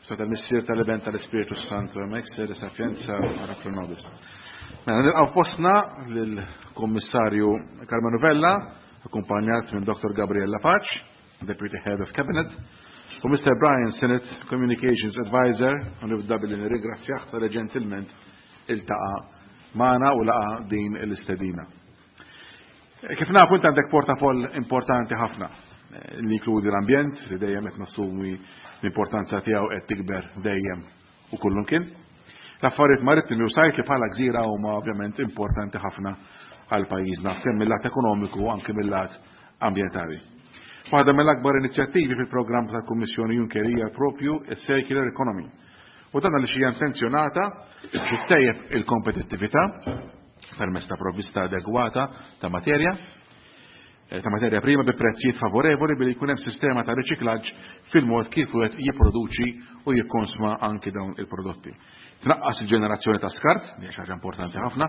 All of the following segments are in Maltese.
Tal-Missier tal-Iben tal-Ispirtu Santu, hemmhekk sede sapienza ora pro nobis. Mela nilqgħu fostna lill-Kummissarju Karmenu Vella, akkumpanjat minn Dr. Gabriella Pace, Deputy Head of Cabinet, u Mr. Brian Sinnott, Communications Advisor, u nibda billi nirringrazzjah tal ġentilment iltaqa' magħna u laqa' din l-istedina. Kif nafu int għandek portafoll importanti ħafna li jinkludi l-ambjent li dejjem qed nassumi l-importanza tiegħu qed tikber dejjem u kullimkien. L-affarijiet marittimi u sajd li bħala gżira huma ovvjament importanti ħafna għal pajjiżna kemm mill-lat ekonomiku u anke mill-lat ambjentali. Waħda mill-akbar inizjattivi fil-programm tal-Kummissjoni Juncker hija propju s-Circular Economy. U dan għaliex hija intenzjonata biex ittejjeb il-kompetittività permezz ta' provvista adegwata ta' materja ta' materja prima bi prezzijiet favorevoli billi jkun hemm sistema ta' riċiklaġġ fil-mod kif wieħed jipproduċi u jikkonsma anki dawn il-prodotti. Tnaqqas il-ġenerazzjoni ta' skart, li hija xi ħaġa importanti ħafna,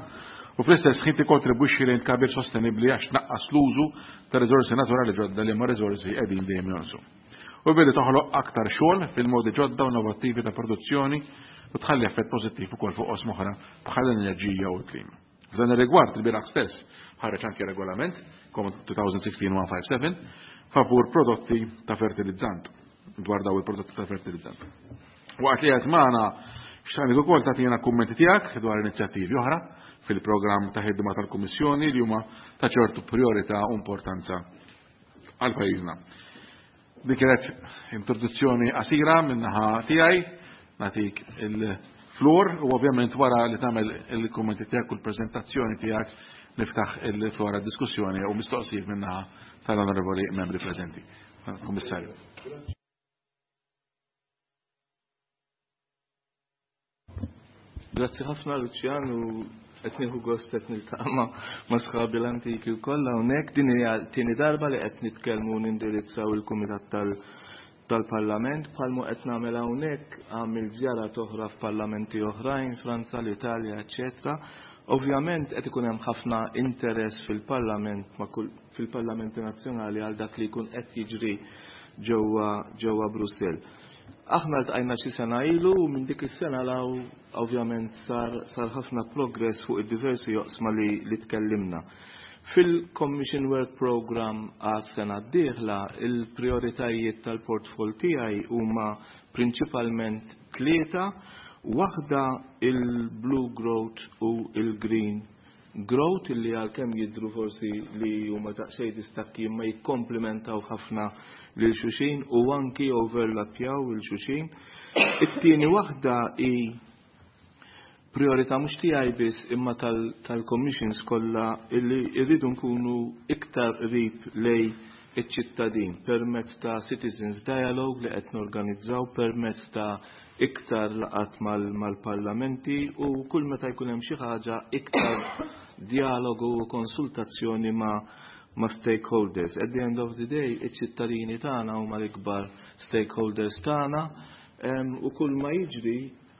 u fl-istess ħin tikkontribwixxi lejn tkabbir sostenibbli għax tnaqqas l-użu ta' riżorsi naturali ġodda li ma riżorsi qegħdin dejjem jonqsu. U billi toħloq aktar xogħol fil-modi ġodda u innovattivi ta' produzzjoni u tħalli effett pożittiv ukoll fuq oqsma oħra bħal l-enerġija u l-klima. F'dan ir-rigward il-bieraħ stess ħareġ anke regolament COM 2016-157 favur prodotti ta' fertilizzant dwar daw il-prodotti ta' fertilizzant. Waqt li qed magħna xtaqnik ukoll tagħtina kummenti tiegħek dwar inizjattivi oħra fil-programm ta' ħidma tal-Kummissjoni li huma ta' ċertu priorità u importanza għal pajjiżna. Dik kienet introduzzjoni qasira min-naħa tiegħi, nagħtik il-floor u ovvjament wara li tagħmel il-kummenti tiegħek u l-preżentazzjoni tiegħek niftaħ il-floor għad-diskussjoni u mistoqsijiet min-naħa tal-onorevoli membri preżenti. Kummissarju. Grazzi ħafna Lucian u qed nieħu gost qed niltaqa' ma' sħabi l-antiki wkoll hawnhekk. Din hija tieni darba li qed nitkellmu u nindirizzaw il-Kumitat tal-Parlament bħalmu qed nagħmel hawnhekk għamil żjarat oħra f'parlamenti oħrajn, Franza, l-Italja, eċċetera. Ovvjament qed ikun hemm ħafna interess fil-Parlament fil-Parlamenti Nazzjonali għal dak li jkun qed jiġri ġewwa ġewwa Brussell. Aħna ltqajna xi sena ilu u minn dik is-sena 'l hawn ovvjament sar sar ħafna progress fuq id-diversi oqsma li, li tkellimna. Fil-Commission Work Programme għas-sena d-dieħla, il-prioritajiet tal-portfoll tiegħi huma prinċipalment tlieta, waħda il-Blue Growth u il-Green Growth illi għalkemm jidhru forsi li huma daqsxejn distakki imma jikkomplementaw ħafna lil xulxin u anki overlappjaw lil xulxin. It-tieni waħda hi priorità mhux tiegħi biss imma tal-commissions kollha illi rridu nkunu iktar qrib lej iċ-ċittadin permezz ta' Citizens Dialogue li qed norganizzaw permezz ta' iktar laqgħat mal-parlamenti u kull meta jkun hemm xi ħaġa iktar dialogu u konsultazzjoni ma' ma' stakeholders. At the end of the day, iċ-ċittadini tagħna huma l-ikbar stakeholders tagħna u kull ma jiġri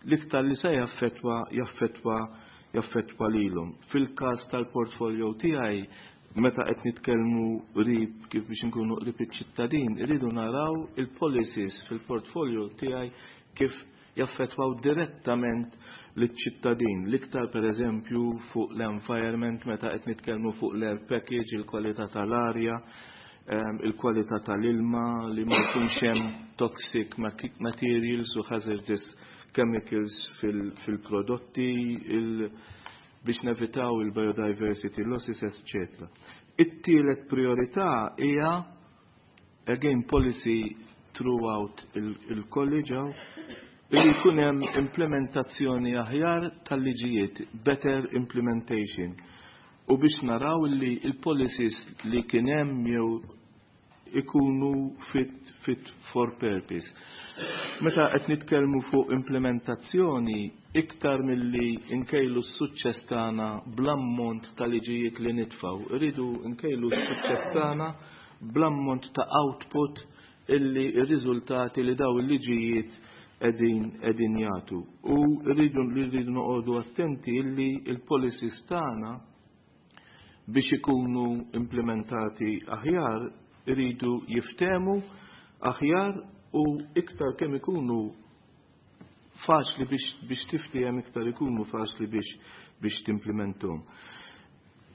l-iktar li se jaffettwa jaffettwa jaffettwa lilhom. Fil-każ tal-portfolio tiegħi meta qed nitkellmu qrib kif biex inkunu qrib iċ-ċittadin, irridu naraw il-policies fil-portfolio tiegħi kif jaffettwaw direttament liċ-ċittadin. L-iktar pereżempju fuq l-environment meta qed nitkellmu fuq l-air package, il-kwalità tal-arja, il-kwalità tal-ilma, li ma jkunx hemm toxic materials u hazardous chemicals fil-prodotti, biex nevitaw il-biodiversity losses, etc. It-tielet priorità hija again policy throughout il-college li jkun hemm implementazzjoni aħjar tal-liġijiet, better implementation. U biex naraw li il-policies li kien hemm jew ikunu fit, fit for purpose. Meta qed nitkellmu fuq implementazzjoni, iktar milli nkejlu s-suċċess tagħna bl-ammont ta' liġijiet li nitfgħu, irridu nkejlu s-suċċess tagħna bl-ammont ta' output illi r-riżultati li daw il-liġijiet qegħdin qegħdin jagħtu. U rridu li rridu noqogħdu attenti illi il-policies tagħna biex ikunu implementati aħjar iridu jiftehmu aħjar u iktar kemm ikunu faċli biex tiftiehem, iktar ikunu faċli biex timplimenthom.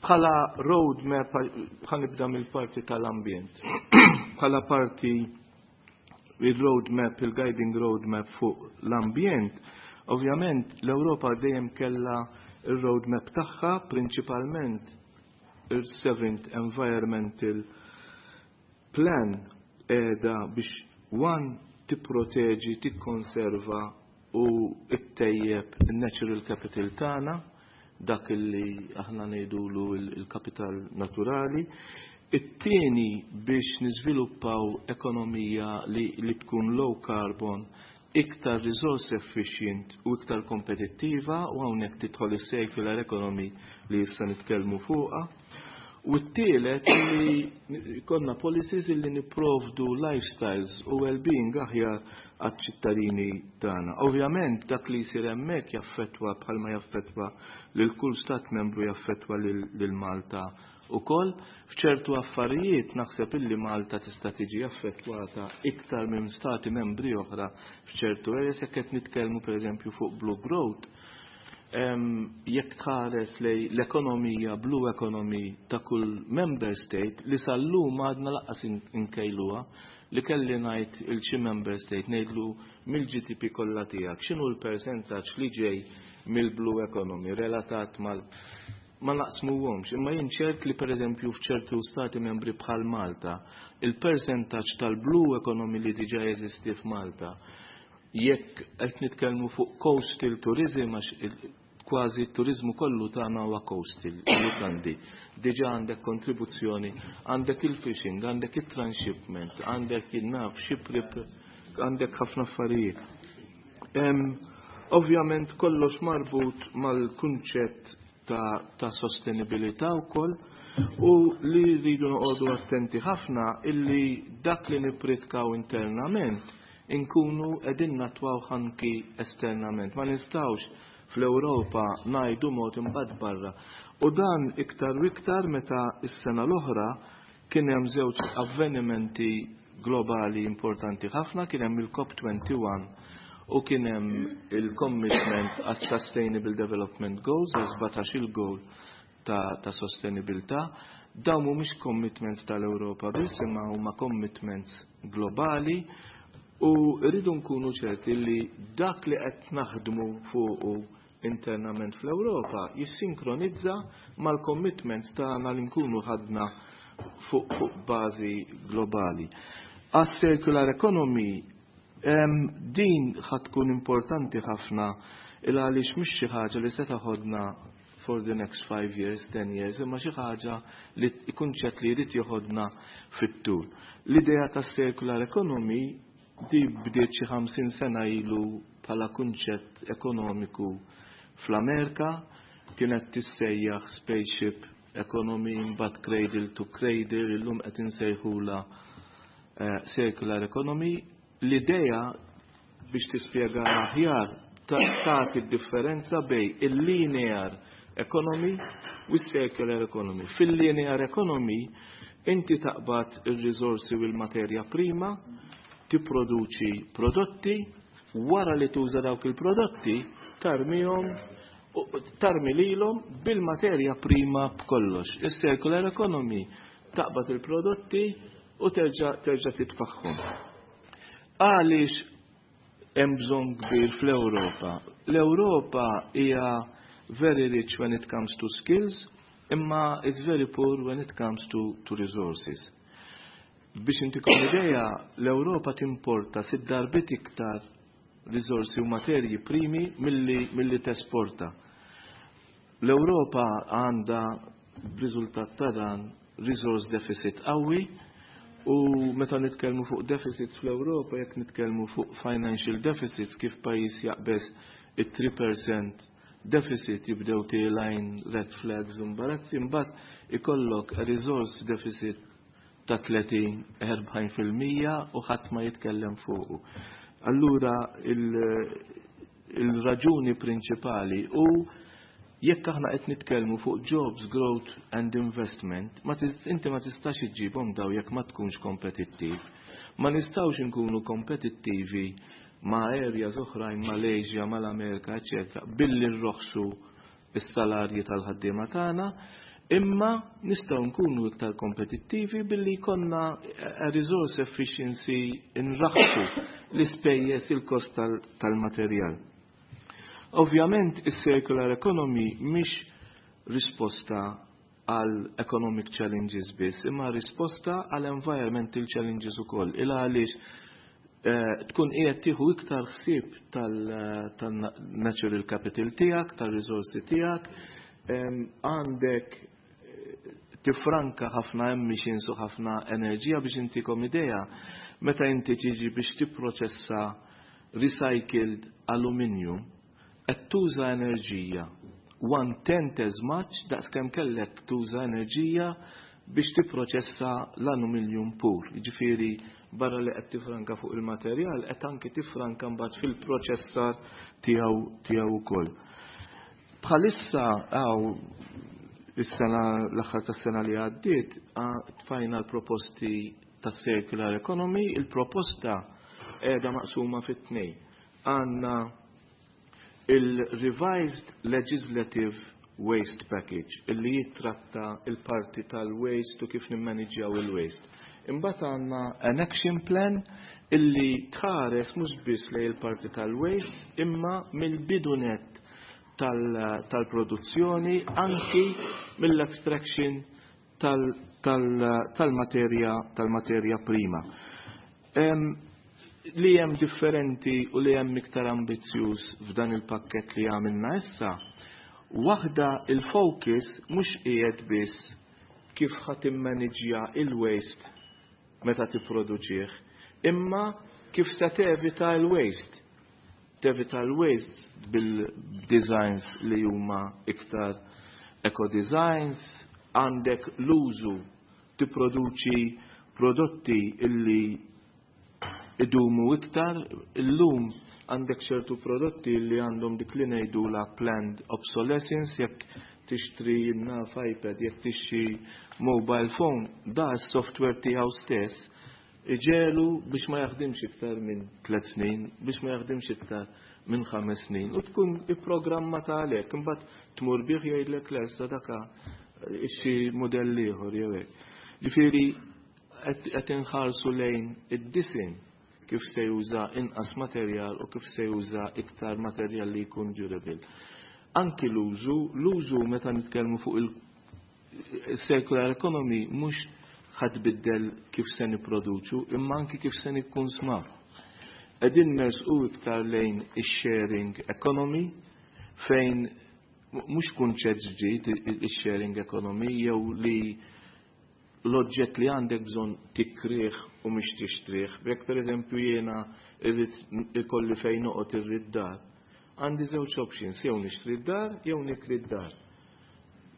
Bħala roadmap, ħa nibda mill-parti tal-ambjent. Bħala parti il-roadmap, il-guiding roadmap fuq l-ambjent, ovvjament l-Ewropa dejjem kella il-roadmap tagħha, prinċipalment il-Seventh Environmental Plan qiegħda biex one tipproteġi, tikkonserva u ttejjeb il-natural capital tagħna, dak li aħna ngħidulu il-kapital naturali. It-tieni biex niżviluppaw ekonomija li tkun low carbon, iktar resource efficient u iktar kompetittiva, u hawnhekk tidħol is-circular economy li issa nitkellmu fuqha. U t-tielet li konna policies li niprovdu lifestyles u well-being aħjar għat-ċittadini tagħna. Ovvjament dak li jsir hemmhekk jaffettwa, bħalma jaffettwa lil kull stat membru, jaffettwa lil Malta ukoll. F'ċertu affarijiet naħseb illi Malta tista' tiġi affettwata iktar minn stati membri oħra f'ċertu areas, jekk qed nitkellmu pereżempju fuq blue growth. Jekk tħares lej l-ekonomija, blue economy ta' kull member state, li sal-lum għadna lanqas inkejluha, li kelli ngħid il xi member state, ngħidlu mill-GDP kollha tiegħek x'inhu l-persentaġġ li ġej mill-blue economy relatat mal, ma naqsmuhomx, imma jien ċert li pereżempju f'ċertu stati membri bħal Malta, il-persentaġġ tal-blue economy li diġà jeżisti f'Malta, jekk qed nitkellmu fuq coastal tourism, għax kważi t-turizmu kollu tagħna huwa coastal, lukandi. Diġà għandek kontribuzzjoni, għandek il-fishing, għandek il-transshipment, għandek il-naf, ship, għandek ħafna affarijiet. Ovvjament kollox marbut mal-kunċett ta' sostenibilità wkoll u li rridu noqogħdu attenti ħafna illi dak li nipritkaw internament inkunu qegħdin natwaw anki esternament. Ma nistgħux fl-Ewropa ngħidu mod, imbagħad barra. U dan iktar u iktar meta s-sena l-oħra kien hemm żewġ avvenimenti globali importanti ħafna, kien hemm il-COP21 u kien hemm il-commitment għas Sustainable Development Goals, għal 17 il-goal ta' sostenibilità. Dawn mhumiex commitments tal-Ewropa biss, imma huma commitments globali u rridu nkunu ċerti li dak li qed naħdmu fuqu internament fl-Ewropa jissinkronizza mal-commitments tagħna li nkunu ħadna fuq bażi globali. Għas circular economy, din ħa tkun importanti ħafna il għaliex mhix xi ħaġa li se taħodna for the next 5 years, 10 years, imma xi ħaġa li kunċett li jrid joħodna fit-tul. L-idea ta' circular economy di bdiet xi 50 sena ilu bħala kunċett ekonomiku fl-Amerika, kienet tissejjaħ spaceship economy, imbagħad cradle to cradle, illum qed insejħula circular economy. L-idea, biex tispjega aħjar, tagħti differenza bejn il-linear economy u circular economy. Fil-linear economy inti taqbad il-risorsi u l-materja prima, tipproduċi prodotti, wara li tuża dawk il-prodotti, tarmihom, tarmi lilhom bil-materja prima b'kollox. Is-circular economy taqbad il-prodotti u terġa' titfaħħom. Għaliex hemm bżonn kbir fl-Ewropa? L-Ewropa hija very rich when it comes to skills, imma it's very poor when it comes to resources. Biex intikom idea, l-Ewropa timporta sitt darbiet iktar risorsi u materji primi milli tesporta. L-Ewropa għandha b'riżultat ta' dan resource deficit qawwi u meta nitkellmu fuq deficits fl-Ewropa, jekk nitkellmu fuq financial deficits, kif pajjiż jaqbeż it-3% deficit jibdew telgħin red flags u imbarazzi, imbagħad ikollok a resource deficit ta' 30-40% u ħadd ma jitkellem fuqu. Allura il-raġuni prinċipali u jekk aħna qed nitkellmu fuq jobs, growth and investment, ma inti ma tistax iġġibhom daw jekk ma tkunx kompetittiv. Ma nistgħux inkunu kompetittivi. ma' areas oħrajn, mal-Asia, mal-Amerika, eċetera, billi nroħsu s-salarji tal-ħaddiema tagħna, imma nistgħu nkunu iktar kompetittivi billi jkollna resource efficiency, nraħħsu l-ispejjeż, il-kost tal-materjal. Ovvjament, is-circular economy mhix risposta għal economic challenges biss, imma risposta għal environmental challenges ukoll. Il għaliex tkun qiegħed tieħu iktar ħsieb tal-natural capital tiegħek, tal-riżorsi tiegħek, għandek tifranka ħafna emissions u ħafna enerġija. Biex intikom idea, meta inti tiġi biex tipproċessa recycled aluminium, qed tuża enerġija one tenth as much daqs kemm kellek tuża enerġija biex tipproċessa l-aluminium pur. Jiġifieri, barra li qed tifranka fuq il-materjal, qed anki tifranka mbagħad fil-proċessar tiegħu ukoll. Bħalissa għaw is-sena, l-aħħar tas-sena li għaddiet, tfajna l-proposti tas circular economy, il-proposta qiegħda maqsuma fit-tnejn. Għandna il-Revised Legislative Waste Package illi jittratta il-parti tal-waste u kif nimmaniġjaw il-waste. Imbagħad għandna an action plan illi tħares mhux biss lejn il-parti tal-waste, imma mill-bidu nett tal-produzzjoni, anki mill-extraction tal-materja prima. Li hemm differenti u li hemm iktar ambizzjuż f'dan il-pakket li għamilna issa, waħda, il-focus mhux qiegħed biss kif ħa timmaniġja il-waste meta tipproduċih, imma kif se tevita il-waste. Tevita l-waste bil-designs li huma iktar eco-designs, għandek l-użu, tipproduċi prodotti illi idumu iktar. Illum għandek ċertu prodotti li għandhom dik li ngħidu la planned obsolescence. Jekk tixtri naf iPad, jekk tixtri mobile phone, da s-software tiegħu stess iġelu biex ma jaħdimx iktar minn 3 snin, biex ma jaħdimx iktar minn 5 snin. U tkun ipprogrammata għalhekk, imbagħad tmur bih, jgħidlek lesta daka, xi modell ieħor jew hekk. Ġifieri qed inħarsu lejn id-disinn, kif se juża inqas materjal u kif se juża iktar materjal li jkun durable. Anki l-użu, meta nitkellmu fuq il-circular economy, mhux ħa tbiddel kif se nipproduċu, imma anki kif se nikkunsmaw. Qegħdin nersqu iktar lejn is-sharing economy, fejn mhux kunċett ġdid is-sharing economy, jew li l-oġġett li għandek bżonn tikrih u mhux tixtrih. Jekk, per eżempju, jiena irrid ikolli fejn noqgħod, irrid dar, għandi żewġ options: jew nixtri d-dar jew nikri d-dar.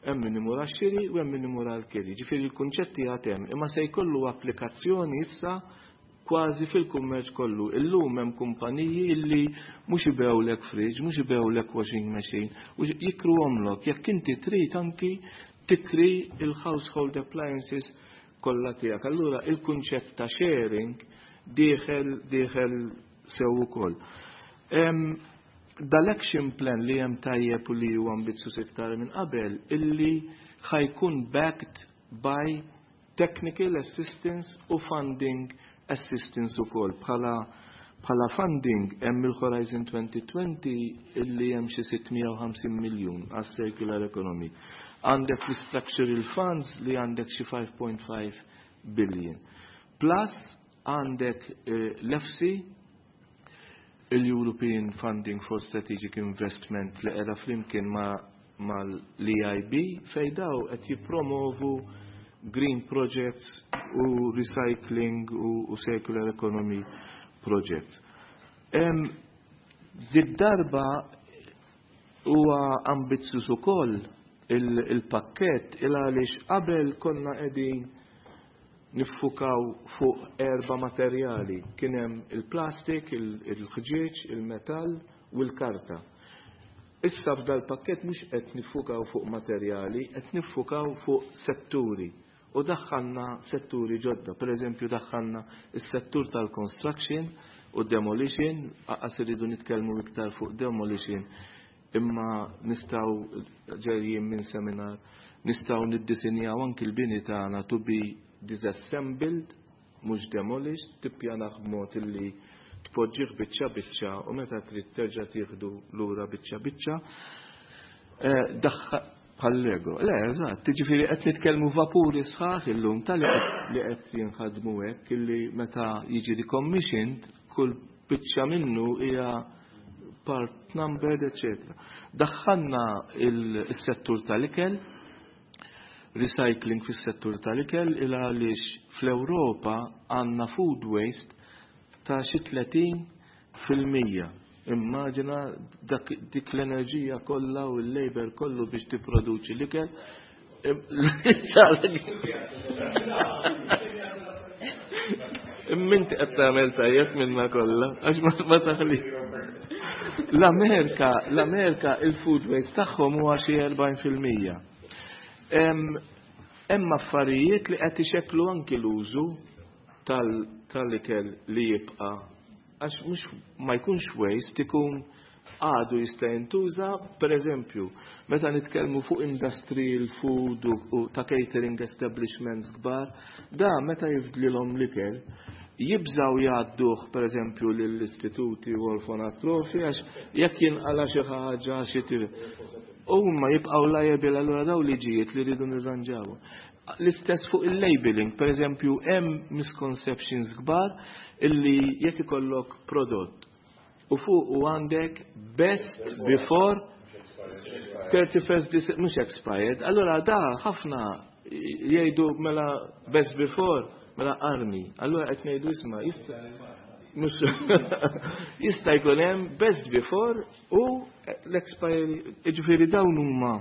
Hemm min imur għax-xiri u hemm min imur għall-kiri. Ġifieri l-kunċetti għad hemm, imma se jkollu applikazzjoni issa kważi fil-kummerċ kollu. Illum hemm kumpaniji illi mhux ibewlek fridge, mhux ibewlek washing machine, u jikruhomlok. Jekk inti trid, anki tikri il-household appliances kollha tiegħek. Allura il-kunċett ta' sharing dieħel sew ukoll. Dal-action plan li hemm tajjeb u li huwa ambizzjuż iktar minn qabel, illi ħa jkun backed by technical assistance u funding assistance ukoll. Bħala funding hemm il-Horizon 2020 illi hemm xi 650 miljun għas circular economy. Għandek l-structural funds li għandek xi 5.5 billion. Plus għandek l-EFSI, il-European Funding for Strategic Investment, li qiegħda flimkien ma mal-EIB, fejn daw qed jippromovu green projects u recycling u circular economy projects. Did-darba huwa ambizzjuż ukoll il-pakket il għaliex qabel konna qegħdin niffukaw fuq erba' materjali. Kien hemm il-plastik, il-ħġieġ, il-metall u l-karta. Issa f'dal pakket mhux qed niffukaw fuq materjali, qed niffukaw fuq setturi. U daħħalna setturi ġodda, per eżempju daħħalna is-settur tal-construction. u demolition, anqas irridu nitkellmu iktar fuq demolition, imma nistgħu, ġejjin minn seminar, nistgħu niddisinjaw anki l-bini tagħna to be disassembled, mhux demolished, tippjanah b'mod illi tpoġġih biċċa biċċa u meta trid terġa' tieħdu lura biċċa biċċa. Bħal Lego. Le, eżatt, jiġifieri qed nitkellmu vapuri sħaħ illum tal li qed jinħadmu hekk illi meta jiġi decommissioned kull biċċa minnu hija part numbered, etc. Daħħalna il-settur tal-ikel, recycling fis-settur tal-ikel, il għaliex fl-Ewropa għandna food waste ta' xi 30%. Immaġina dik l-enerġija kollha u l-labor kollu biex tipproduċi l-ikel. Imminti qed tagħmel tajjeb minna kollha, għax ma taħli. L-Amerika il-food waste tagħhom huwa xi 40%. Hemm affarijiet li qed ixekklu anki l-użu tal-ikel li jibqa', għax mhux ma jkunx waste, ikun għadu jista' jintuża. Per eżempju, meta nitkellmu fuq industrial food u ta' catering establishments kbar, da meta jifdlilhom l-ikel, jibżaw jgħadduh, per eżempju, lill-istituti u orfanatrofi, għax jekk jinqala xi ħaġa xi huma jibqgħu liable. Allura daw liġijiet li rridu nirranġaw. L-istess fuq il-labeling, per eżempju, hemm misconceptions kbar illi jekk ikollok prodott u fuq u għandek best before 31st December, mhux expired, allura da ħafna jgħidu mela best before, mela armi. Allura qed ngħidu, isma', jista' jkun hemm best before u l-expiry, jiġifieri dawn huma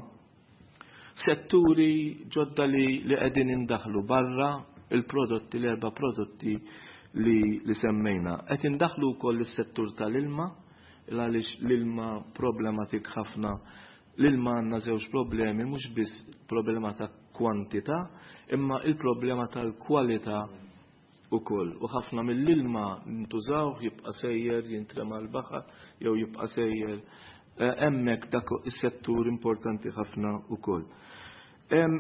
setturi ġodda li qegħdin indaħlu barra il-prodotti, l-erba' prodotti li semmejna. Qed indaħlu wkoll is-settur tal-ilma, għaliex l-ilma problematik ħafna. L-ilma għandna żewġ problemi, mhux biss problema ta' kwantità, imma il-problema tal-kwalità ukoll. U ħafna mill-ilma ntużaw jibqa' sejjer jintrema l-baħar jew jibqa' sejjer hemmhekk. Dak is-settur importanti ħafna ukoll.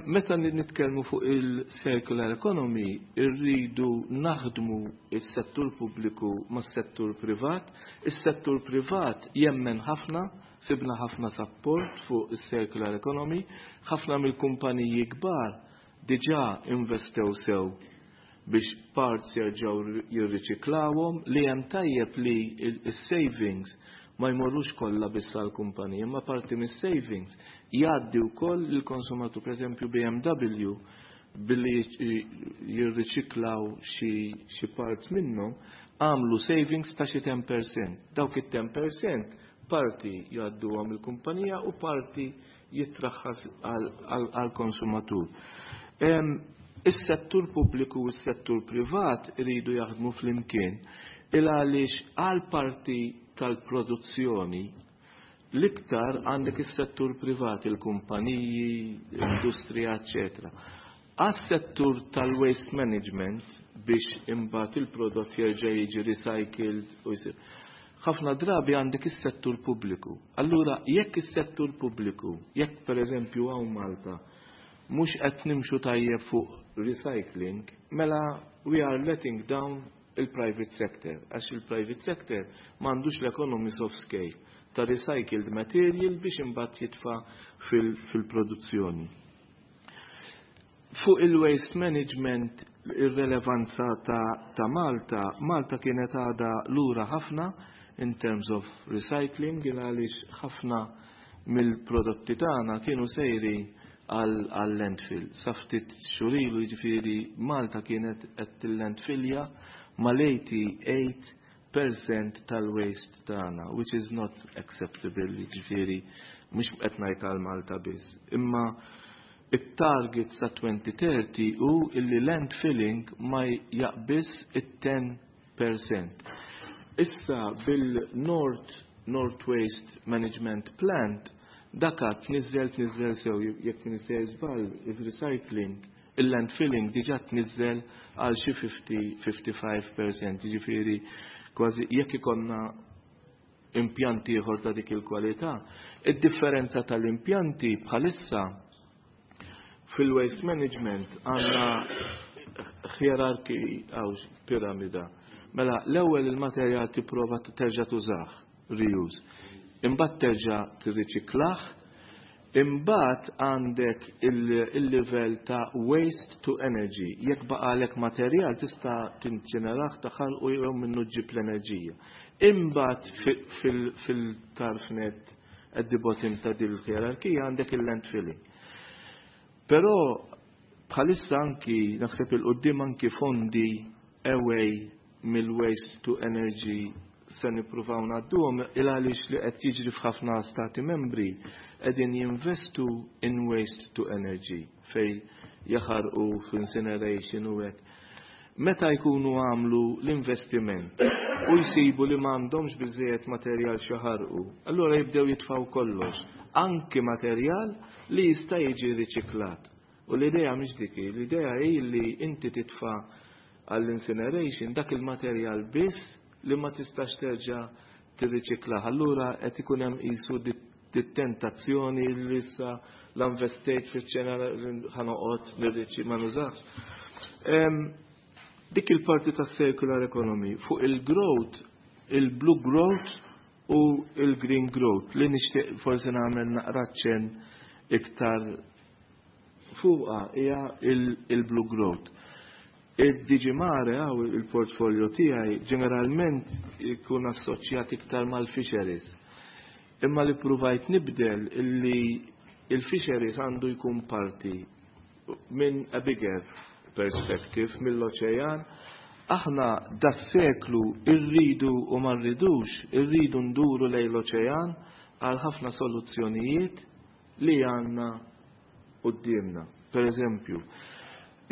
Meta nitkellmu fuq il-circular economy, irridu naħdmu is-settur pubbliku mas-settur privat. Is-settur privat jemmen ħafna, sibna ħafna support fuq is-circular economy, ħafna mill-kumpaniji kbar diġà investew sew biex parts jerġgħu jirriċiklawhom. Li hemm tajjeb li il-savings ma jmorrux kollha biss għall-kumpanija, ma parti mis-savings jgħaddi wkoll lill-konsumatur. Per eżempju, BMW billi jirriċiklaw xi parts minnhom għamlu savings ta' xi 10%. Dawk it-10% parti jgħadduhom il-kumpanija u parti jitraħħas għal-konsumatur. Is-settur pubbliku u s-settur privat iridu jaħdmu flimkien il għaliex għal parti tal-produzzjoni l-iktar għandek is-settur privat, il-kumpaniji, l-industrija, eccetera. Għas-settur tal-waste management, biex imbagħad il-prodott jerġa' jiġi recycled u jsir. Ħafna drabi għandek is-settur pubbliku. Allura jekk is-settur pubbliku, jekk, per eżempju, hawn Malta mhux qed nimxu tajjeb fuq recycling, mela we are letting down il-private sector, għax il-private sector m'għandux l-economies of scale ta' recycled material biex imbagħad jitfa' fil-produzzjoni. Fuq il-waste management, ir-relevanza ta' Malta, Malta kienet għada lura ħafna in terms of recycling, għaliex ħafna mill-prodotti tagħna kienu sejri għal landfill. Sa ftit xhur ilu, jiġifieri, Malta kienet qed til-landfillja mal-88% tal-waste tagħna, which is not acceptable, jiġifieri mhux qed ngħid għal Malta biss. Imma it-target sa 2030 hu illi landfilling ma jaqbiż it-10%. Issa bil-North North Waste Management Plant daka tniżel sew, jekk nisej żball, il-recycling, il-landfilling diġà tniżel għal xi 50-55%, jiġifieri. Kważi jekk ikollna impjanti ieħor ta' dik il-kwalità. Id-differenza tal-impjanti bħalissa fil-waste management għandna hierarchy għaw piramida. Mela, l-ewwel il-materjal tipprova terġa' tużah, reuse. Imbagħad terġa' tirriċiklah, imbagħad għandek il-livell ta' waste to energy. Jekk baqalek materjal tista' tinċinerah taħal u jew minnu ġġib l-enerġija. Imbagħad fil-tarf net at the bottom ta' din il-hierarkija għandek il-landfilling. Però bħalissa anki naħseb il-qoddim anki fondi away mill-waste to energy se nippruvaw ngħadduhom il għaliex li qed jiġri f'ħafna stati membri qegħdin jinvestu in waste to energy fej jaħarqu f'incineration u hekk. Meta jkunu għamlu l-investiment u jsibu li m'għandhomx biżejjed materjal x'jaħarqu, allura jibdew jitfaw kollox, anki materjal li jista' jiġi riċiklat. U l-idea mhix dik, l-idea hi li inti titfa' għall-incineration dak il-materjal biss li ma tistax terġa' tirriċiklah. Allura qed ikun hemm qisu dit-tentazzjoni li issa l-investejt fiċ-ċena ħa noqgħod nirriċi ma nużax. Dik il-parti tas circular economy fuq il-growth, il-blue growth u il-green growth li nixtieq forsi nagħmel naqra ċen iktar fuqa hija il-blue growth. Id-DG Mare għaw il-portfolio tiegħi ġeneralment ikun assoċjat iktar mal-fisheries. Imma li provajt nibdel illi il-fisheries għandu jkun parti minn a bigger perspective mill-oċean. Aħna das-seklu irridu u ma rridux, irridu nduru lejn l-oċean għal ħafna soluzzjonijiet li għandna qudiemna. Per eżempju,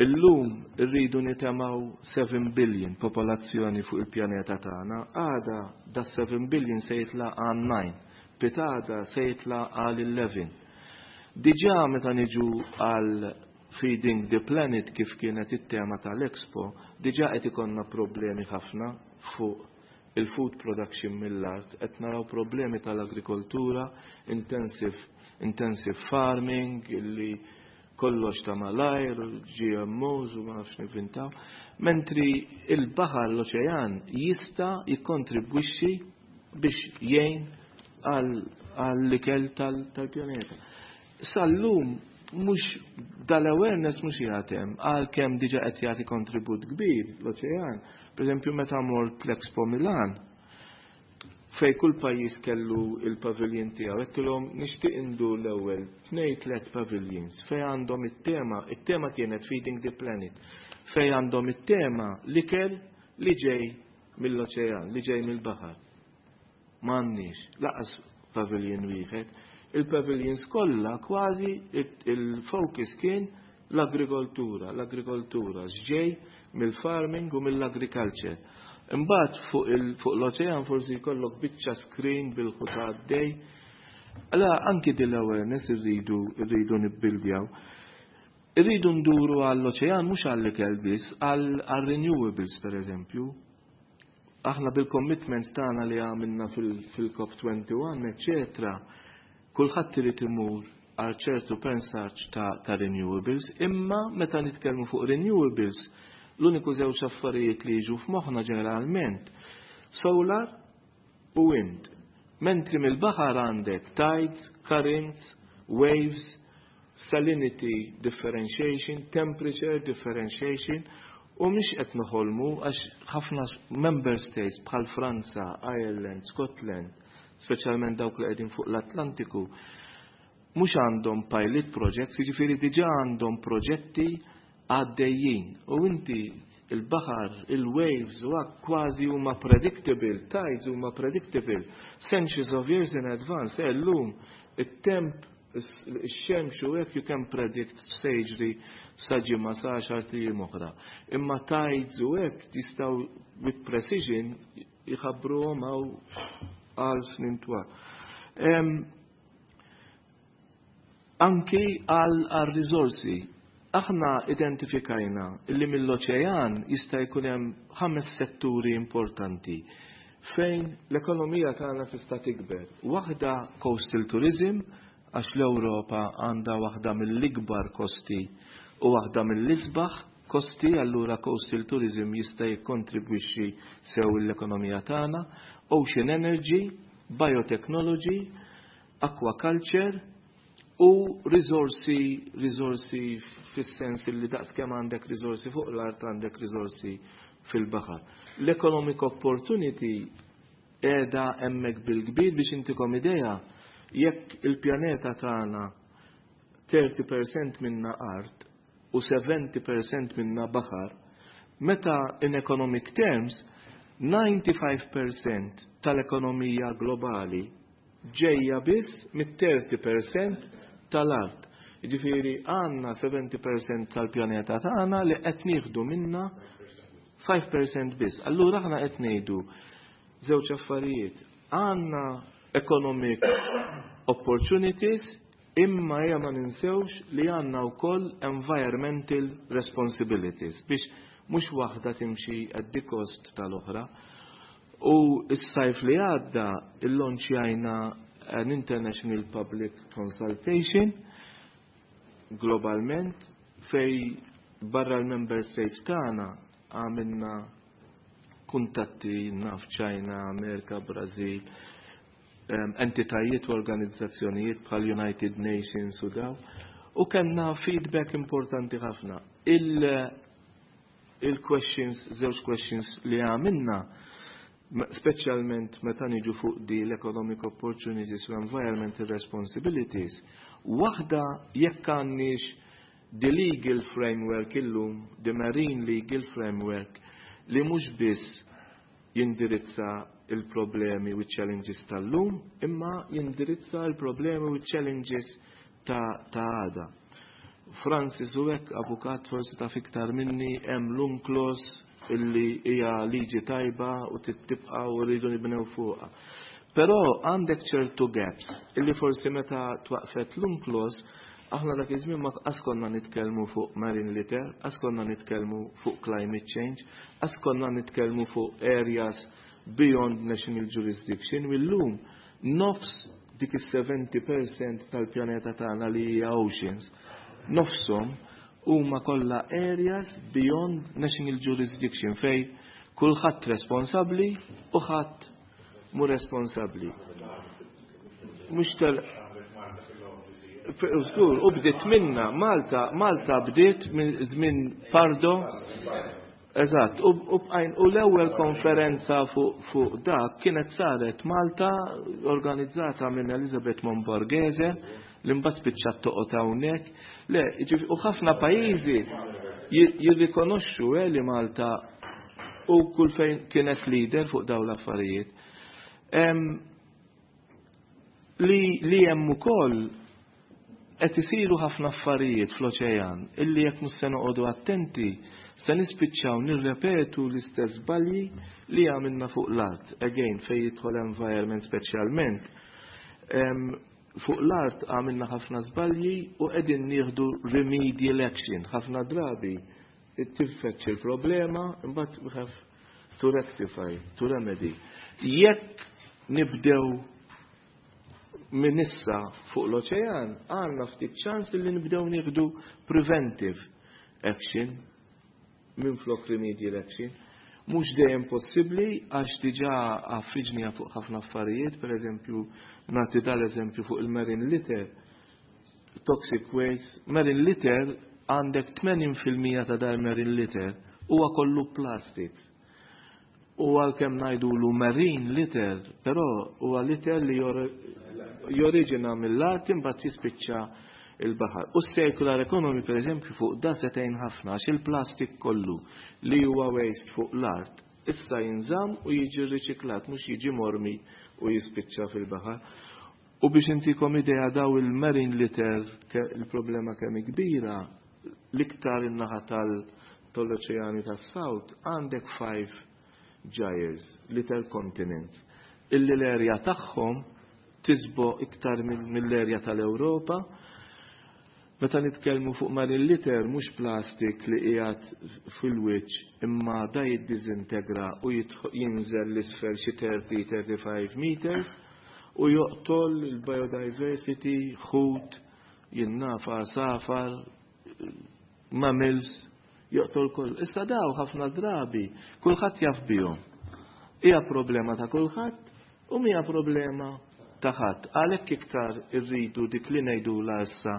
illum irridu nitemaw 7 billion popolazzjoni fuq il-pjaneta tagħna, għada da 7 billion se jitla għal 9, pitgħada se jitla għal 11. Diġà meta niġu għal Feeding the Planet kif kienet it-tema tal-Expo, diġà qed ikollna problemi ħafna fuq il-food production mill-art, qed naraw problemi tal-agrikoltura, intensive farming, illi kollox ta' malajr, GMOs u ma nafx nivvintaw. Mentri il-baħar l-oċean jista' jikkontribwixxi biex jgħin għall-ikel tal-pjaneta. Sal-lum mhux dal-awareness mhux jagħtem għalkemm diġà qed jagħti kontribut kbir l-oċean. Per eżempju, meta mort l-Expo Milan, fej kull pajjiż kellu il-pavilion tiegħu, għedtilhom nixtieq indur l-ewwel tnej tliet pavilions fej għandhom it-tema, it-tema kienet Feeding the Planet, fej għandhom it-tema l-ikel li ġej mill-oċean, li ġej mill-baħar. M'għandniex, lanqas pavilion wieħed. Il-pavilions kollha kważi il-focus kien l-agrikoltura, l-agrikoltura x'ġej mill-farming u mill-agriculture. Imbagħad fuq l-oċean forsi jkollok biċċa screen bil-ħuta għaddej. Allora anki din l-awareness irridu nibbildjaw. Irridu nduru għall-oċean mhux għall-ikel biss, għall-renewables per eżempju. Aħna bil-commitments tagħna li għamilna fil-COP21, eccetera, kulħadd irid imur għal ċertu percentage ta' renewables, imma meta nitkellmu fuq renewables, l-uniku żewġ affarijiet li jiġu f'moħħna ġeneralment solar u wind. Mentri mill-baħar għandek tides, currents, waves, salinity differentiation, temperature differentiation, u mhix qed noħolmu għax ħafna member states bħal Franza, Ireland, Scotland, speċjalment dawk li qegħdin fuq l-Atlantiku, mhux għandhom pilot projects, jiġifieri diġà għandhom proġetti għaddejjin. U inti il-baħar, il-waves, u kważi huma predictable, tides huma predictable, centuries of years in advance, llum it-temp ix-xemx u hekk you can predict se jiġri sa ġimgħa sa għaxar ijiem oħra. Imma tides u hekk jistgħu with precision jħabbruhom hawn għal snin twal. Anki għal risorsi aħna identifikajna illi mill-oċean jista' jkun hemm ħames setturi importanti. fejn l-ekonomija tagħna tista' tikber. Waħda coastal tourism, għax l-Ewropa għandha waħda mill-ikbar kosti u waħda mill-isbaħ kosti, allura coastal tourism jista' jikkontribwixxi sew l-ekonomija tagħna, ocean energy, biotechnology, aquaculture u risorsi, risorsi fis-sens li daqskemm għandek risorsi fuq l-art, għandek risorsi fil-baħar. L-economic opportunity qiegħda hemmhekk bil-kbir. Biex intikom idea, jekk il-pjaneta tagħna 30% minna art u 70% minna baħar, meta in economic terms 95% tal-ekonomija globali ġejja biss mit-30% tal-art. Ġifieri għandna 70% tal-pjaneta tagħna li qed nieħdu minna 5% biss. Allura aħna qed ngħidu żewġ affarijiet. Għandna economic opportunities, imma ejja ma ninsewx li għandna wkoll environmental responsibilities biex mhux waħda timxi at the cost tal-oħra. U s-sajf li għadda illonċjajna an international public consultation globalment, fej barra l-member states tagħna għamilna kuntatti naf China, Amerika, Brazil, entitajiet u organizzazzjonijiet bħal United Nations u daw, u kellna feedback importanti ħafna. Il-questions, żewġ questions li għamilna, speċjalment meta niġu fuq di l-economic opportunities u environmental responsibilities, waħda jekk għandniex the legal framework illum, the marine legal framework, li mhux biss jindirizza il-problemi u challenges tal-lum, imma jindirizza il-problemi u challenges ta' għada. Francis u hekk avukat forsi ta' fiktar minni, hemm l-UNCLOS illi hija liġi tajba u tibqa' u rridu nibnew fuqha. Però għandek ċertu gaps illi forsi meta twaqfet l-UNCLOS, aħna dak iż-żmien ma qas konna nitkellmu fuq marine litter, qas konna nitkellmu fuq climate change, qas konna nitkellmu fuq areas beyond national jurisdiction. U llum nofs dik is-70% tal-pjaneta tagħna li hija oceans, nofshom huma kollha areas beyond national jurisdiction, fej kulħadd responsabbli u ħadd mu responsabbli. Mhux tal Żgur, u bdiet minna, Malta bdiet minn żmien Pardo. Eżatt, u l-ewwel konferenza fuq dak kienet saret Malta, organizzata minn Elizabeth Momborghese, li mbagħad spiċċat toqgħod hawnhekk. Le, u ħafna pajjiżi jirrikonoxxu li Malta u kull fejn kienet leader fuq dawn l-affarijiet. Li hemm ukoll qed isiru ħafna affarijiet fl-oċean illi jekk mhux se noqogħdu attenti se nispiċċaw nirrepetu l-istess żbalji li għamilna fuq l-art. Again, fejn jidħol environment speċjalment. Fuq l-art għamilna ħafna żbalji u qegħdin nieħdu remedial action. Ħafna drabi tiffaċċja il-problema, imbagħad we have to rectify, to remedy. Jekk nibdew minn issa fuq l-oċean, għandna ftit ċans li nibdew nieħdu preventive action minn flok remedial action. Mhux dejjem possibbli għax diġà għaffiġnija fuq ħafna affarijiet, per eżempju, nagħti dal-eżempju fuq il-marine litter, toxic waste. Marine litter, għandek 80% ta' dal marine litter huwa kollu plastic. U għalkemm ngħidulu marine litter, però huwa litter li joriġina mill-art, imbagħad jispiċċa il-baħar. U circular economy, per eżempju, fuq da setejn ħafna, għax il-plastik kollu li huwa waste fuq l-art issa jinżamm u jiġi riċiklat, mhux jiġi mormi u jispiċċa fil-baħar. U biex intikom idea daw il-marine litter, il-problema kemm kbira, l-iktar in-naħa tal-oċeani tas-South, għandek five gyres, little continents, illi l-erja tagħhom tisbo iktar mill-erja tal-Ewropa. Meta nitkellmu fuq marine litter, mhux plastik li qiegħed fil-wiċċ, imma da jiddiżintegra u jinżel l-isfel xi 30-35 meters u joqtol il-biodiversity, ħut, jinnafa, safar, mammals, joqtol koll. Issa daw ħafna drabi kulħadd jaf bihom. Hija problema ta' kulħadd u mija problema ta' ħadd. Għalhekk iktar irridu dik li ngħidula issa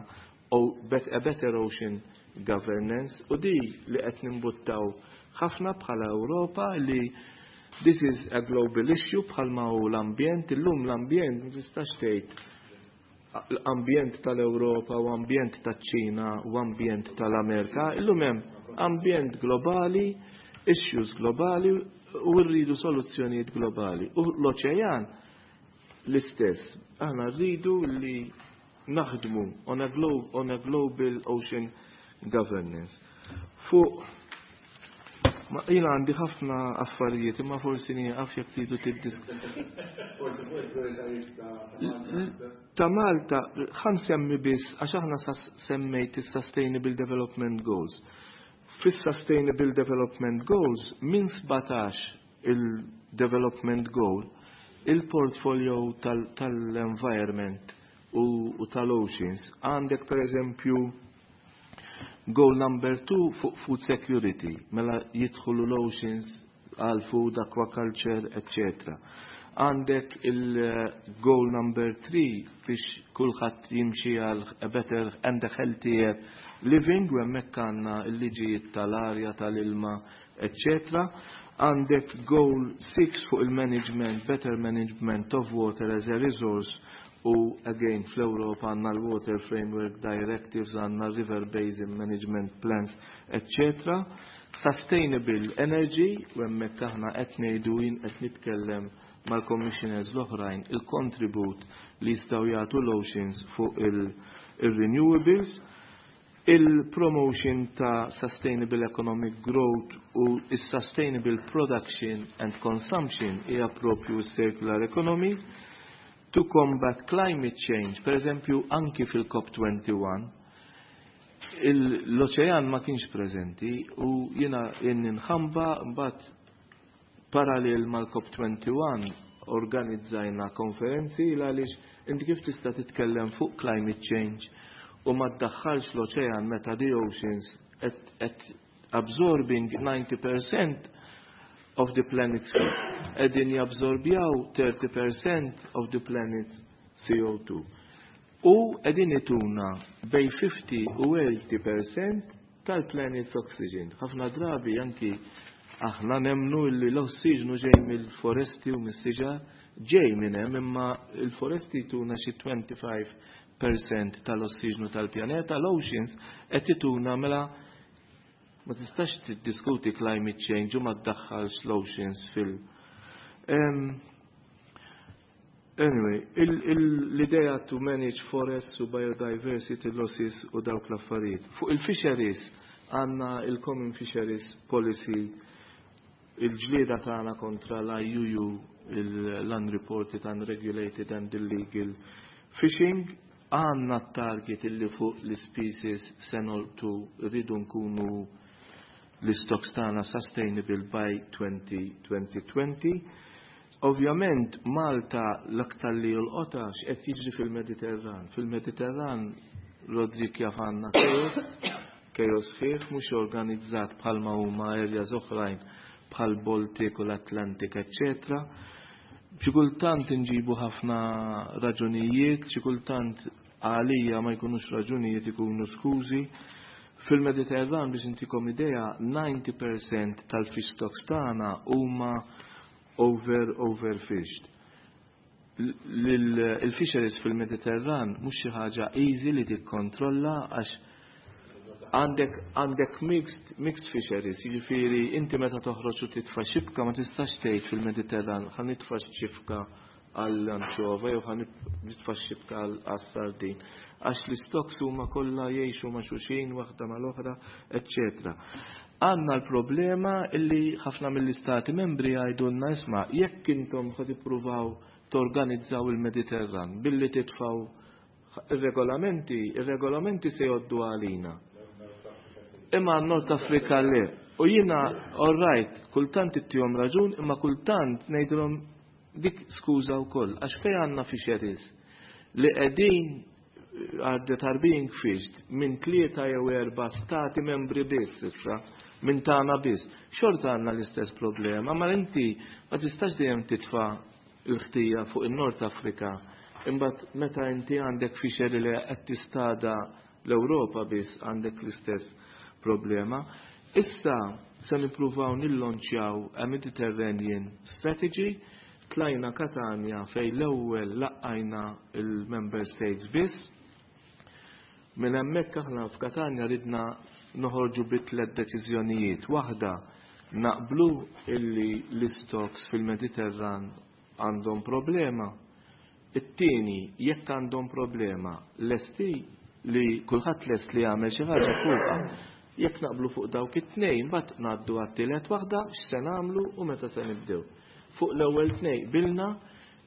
a better ocean governance u di li qed nimbuttaw ħafna bħala Ewropa, li this is a global issue bħalma hu l-ambjent. Illum l-ambjent ma tistax tgħid l-ambjent tal-Ewropa u ambjent taċ-Ċina u ambjent tal-Amerika, illum hemm ambjent globali, issues globali u rridu soluzzjonijiet globali. U l-oċean l-istess. Aħna rridu li naħdmu on a global ocean governance. Fuq ma jina għandi ħafna affarijiet, imma forsi nieqaf jekk tridu tiddisk. Ta' Malta, ħa nsemmi biss, għax aħna semmejt is-Sustainable Development Goals. Fis-Sustainable Development Goals, minn 17 il-Development Goal, il-portfolio tal-environment u tal-oceans, għandek per eżempju goal number 2 fuq food security, mela jidħlu l-oceans għal food, aquaculture, etc. Għandek il-goal number 3 biex kulħadd jimxi għal a better and a healthier living, u hemmhekk għandna l-liġijiet tal-arja, tal-ilma, etc. Għandek goal 6 fuq il-management, better management of water as a resource, u again fl-Europa għandna l-Water Framework Directives, għandna River Basin Management Plans, etc. Sustainable Energy, u hemmhekk aħna qed ngħidu, jien qed nitkellem mal-commissioners l-oħrajn, il-kontribut li jistgħu jagħtu l-oceans fuq il-renewables, il-promotion ta' sustainable economic growth u il-sustainable production and consumption hija propju circular economy, to combat climate change, per eżempju anki fil-COP21, l-oċean ma kienx prezenti u jiena nħamba. Mbagħad parallel mal-COP21 organizzajna konferenzi, għaliex inti kif tista' titkellem fuq climate change u ma tdaħħalx l-oċean meta the oceans at absorbing 90% of the planet's heat? Qegħdin jabsorbjaw 30% of the planet's CO2. U qegħdin ituna bejn 50 u 80% tal-planet's oxygen. Ħafna drabi anki aħna nemnu li l-ossiġnu ġej mill-foresti u mis-siġar, ġej minn hemm, imma il-foresti tuna xi 25% tal-ossiġnu tal-pjaneta, l-oceans qed ituna. Mela ma tistax tiddiskuti climate change u ma tdaħħalx l-oceans fil- Anyway, l-idea to manage forests u biodiversity losses u dawk l-affarijiet. Fuq il-fisheries għandna il-Common Fisheries Policy, il-ġlieda tagħna kontra l-IUU, l-Unreported, Unregulated and Illegal Fishing, għandna target illi fuq l-species se nolqtu, rridu nkunu l-stocks tagħna sustainable by 2020. Ovvjament Malta l-aktar li jolqotha x'qed jiġri fil-Mediterran. Fil-Mediterran, Rodrik jaf, għandna chaos, chaos sħiħ, mhux organizzat bħalma huma areas oħrajn bħal Baltic u l-Atlantic, etc. Xi kultant inġibu ħafna raġunijiet, xi kultant għalija ma jkunux raġunijiet, ikunu skużi. Fil-Mediterran, biex intikom idea, 90% tal-fish stocks tagħna huma overfished. Il-fisheries fil-Mediterran mhux xi ħaġa easy li tikkontrolla għax għandek mixed fisheries, jiġifieri inti meta toħroġ u titfa' xibka ma tistax tgħid fil-Mediterran ħa nitfa' xibka għall-anċova jew ħa nitfa' xibka għas-sardin. Għax l-stocks huma kollha jgħixu ma' xulxin, waħda mal-oħra, eccetera. Għandna l-problema illi ħafna mill-istati membri jgħidulna, "Isma', jekk intom ħa tippruvaw torganizzaw il-Mediterran billi titfaw Ir-regolamenti, ir-regolamenti se jgħoddu għalina. Imma North Africa le. U jiena, all right, kultant ittihom raġun, imma kultant ngħidilhom dik skuża wkoll, għax fejn għandna fisheries li qegħdin that are being fished minn tlieta jew erba' stati membri biss issa, minn tagħna biss. Xorta għandna l-istess problema, ma inti ma tistax dejjem titfa' l-ħtija fuq in-Nord Afrika. Imbagħad meta inti għandek fishery li qed tistada l-Ewropa biss għandek l-istess problema. Issa se nippruvaw nillonċjaw a Mediterranean Strategy. Tlajna Katania fejn l-ewwel laqqajna il-Member States biss. Minn hemmhekk aħna f'Katania ridna noħorġu bi tliet deċiżjonijiet. Waħda, naqblu illi l-istocks fil-Mediterran għandhom problema. It-tieni, jekk għandhom problema, lesti li kulħadd lest li jagħmel xi ħaġa fuqha. Jekk naqblu fuq dawk it-tnejn, mbagħad ngħaddu għat-tielet waħda, x'se nagħmlu u meta se nibdew. Fuq l-ewwel tnejn qbilna,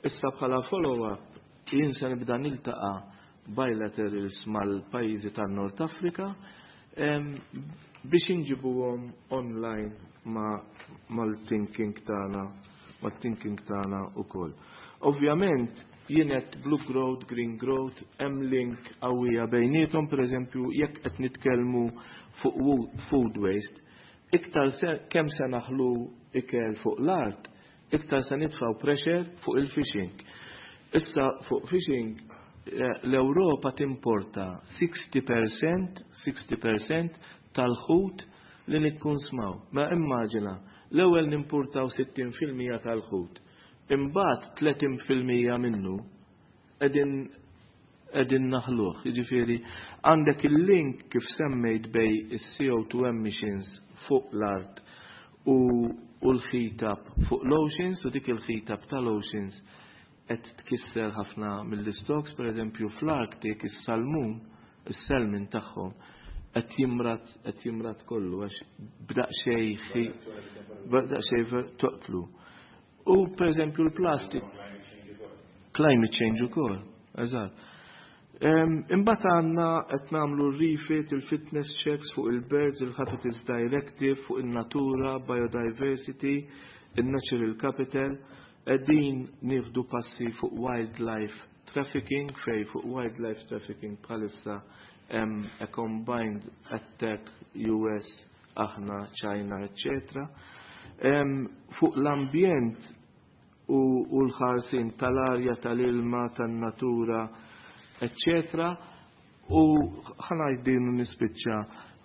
issa bħala follow-up jien se nibda niltaqa' bilaterals mal-pajjiżi tan-Nord Afrika biex inġibuhom online mal-thinking tagħna, mal-thinking tagħna ukoll. Ovvjament jien qed blue growth, green growth, hemm link qawwija bejniethom, pereżempju jekk qed nitkellmu fuq food waste, iktar kemm se naħlu ikel fuq l-art, iktar se nitfgħu pressure fuq il-fishing. Issa fuq fishing l-Ewropa timporta 60%, 60% tal-ħut li nikkunsmaw. Ma immaġina, l-ewwel nimpurtaw 60% tal-ħut. Imbagħad 30% minnu qegħdin naħluh. Jiġifieri għandek il-link kif semmejt bejn is-CO2 emissions fuq l-art u l-heat up fuq l-oceans, u dik il-heat up tal-oceans qed tkisser ħafna mill-stocks, per eżempju fl-Arctic is-salmun, is-salmon tagħhom qed jimrad, qed jimrad kollu għax b'daqsxejn toqtlu. U per eżempju l-plastic, climate change ukoll, eżatt. Imbagħad għandna qed nagħmlu r-refit, il-fitness checks fuq il-birds, il-Habitats Directive, fuq il-natura, biodiversity, il-natural capital, qegħdin nieħdu passi fuq wildlife trafficking, fejn fuq wildlife trafficking bħalissa hemm a combined attack US, aħna, China, etc. Fuq l-ambjent u l-ħarsin tal-arja, tal-ilma, tan-natura, eccetera. U ħa ngħid nispiċċa,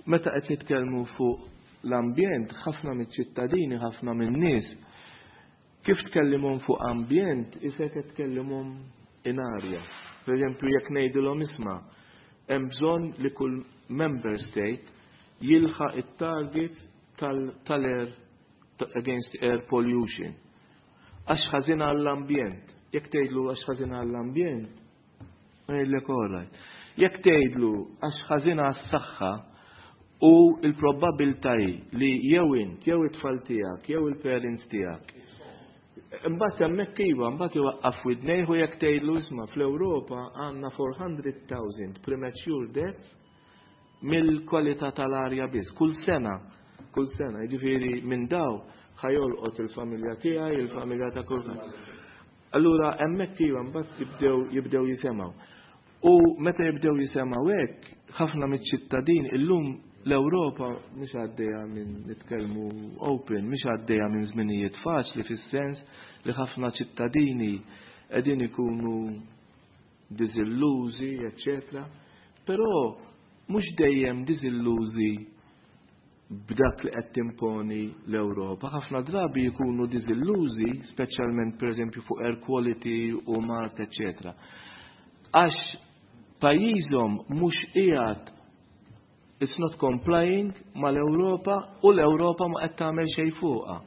meta qed nitkellmu fuq l-ambjent, ħafna mill-ċittadini, ħafna min-nies, kif tkellimhom fuq ambjent, isek qed tkellimhom in arja. Per eżempju, jekk ngħidilhom isma', hemm bżonn li kull member state jilħaq it-target tal-air against air pollution. Għax ħażin għall-ambjent. Jekk tgħidlu għax ħażin għall-ambjent, jgħidlek all right. Jekk tgħidlu għax ħażin għas-saħħa u l-probabilità hi li jew int, jew it-tfal tiegħek, jew il-parents tiegħek. Imbagħad hemmhekk iva, mbagħad iwaqqaf widnejh u jekk tgħidlu isma' fl-Ewropa għandna 400,000 premature deaths mill-kwalità tal-arja biss, kull sena, kull sena, jiġifieri minn daw ħa jolqot il-familja tiegħi, il-familja ta' kulħadd. Allura hemmhekk iva mbagħad jibdew jisemgħu. U meta jibdew jisemgħu hekk, ħafna miċ-ċittadin illum l-Ewropa mhix għaddejja minn, nitkellmu open, mhix għaddejja minn żminijiet faċli fis-sens li ħafna ċittadini qegħdin ikunu diżillużi, eccetera. Però mhux dejjem diżillużi b'dak li qed timponi l-Ewropa. Ħafna drabi jkunu diżillużi, speċjalment pereżempju fuq air quality u mard, eccetera. Għax pajjiżhom mhux qiegħed, it's not complying mal-Ewropa u l-Ewropa ma qed tagħmel xejn fuqha.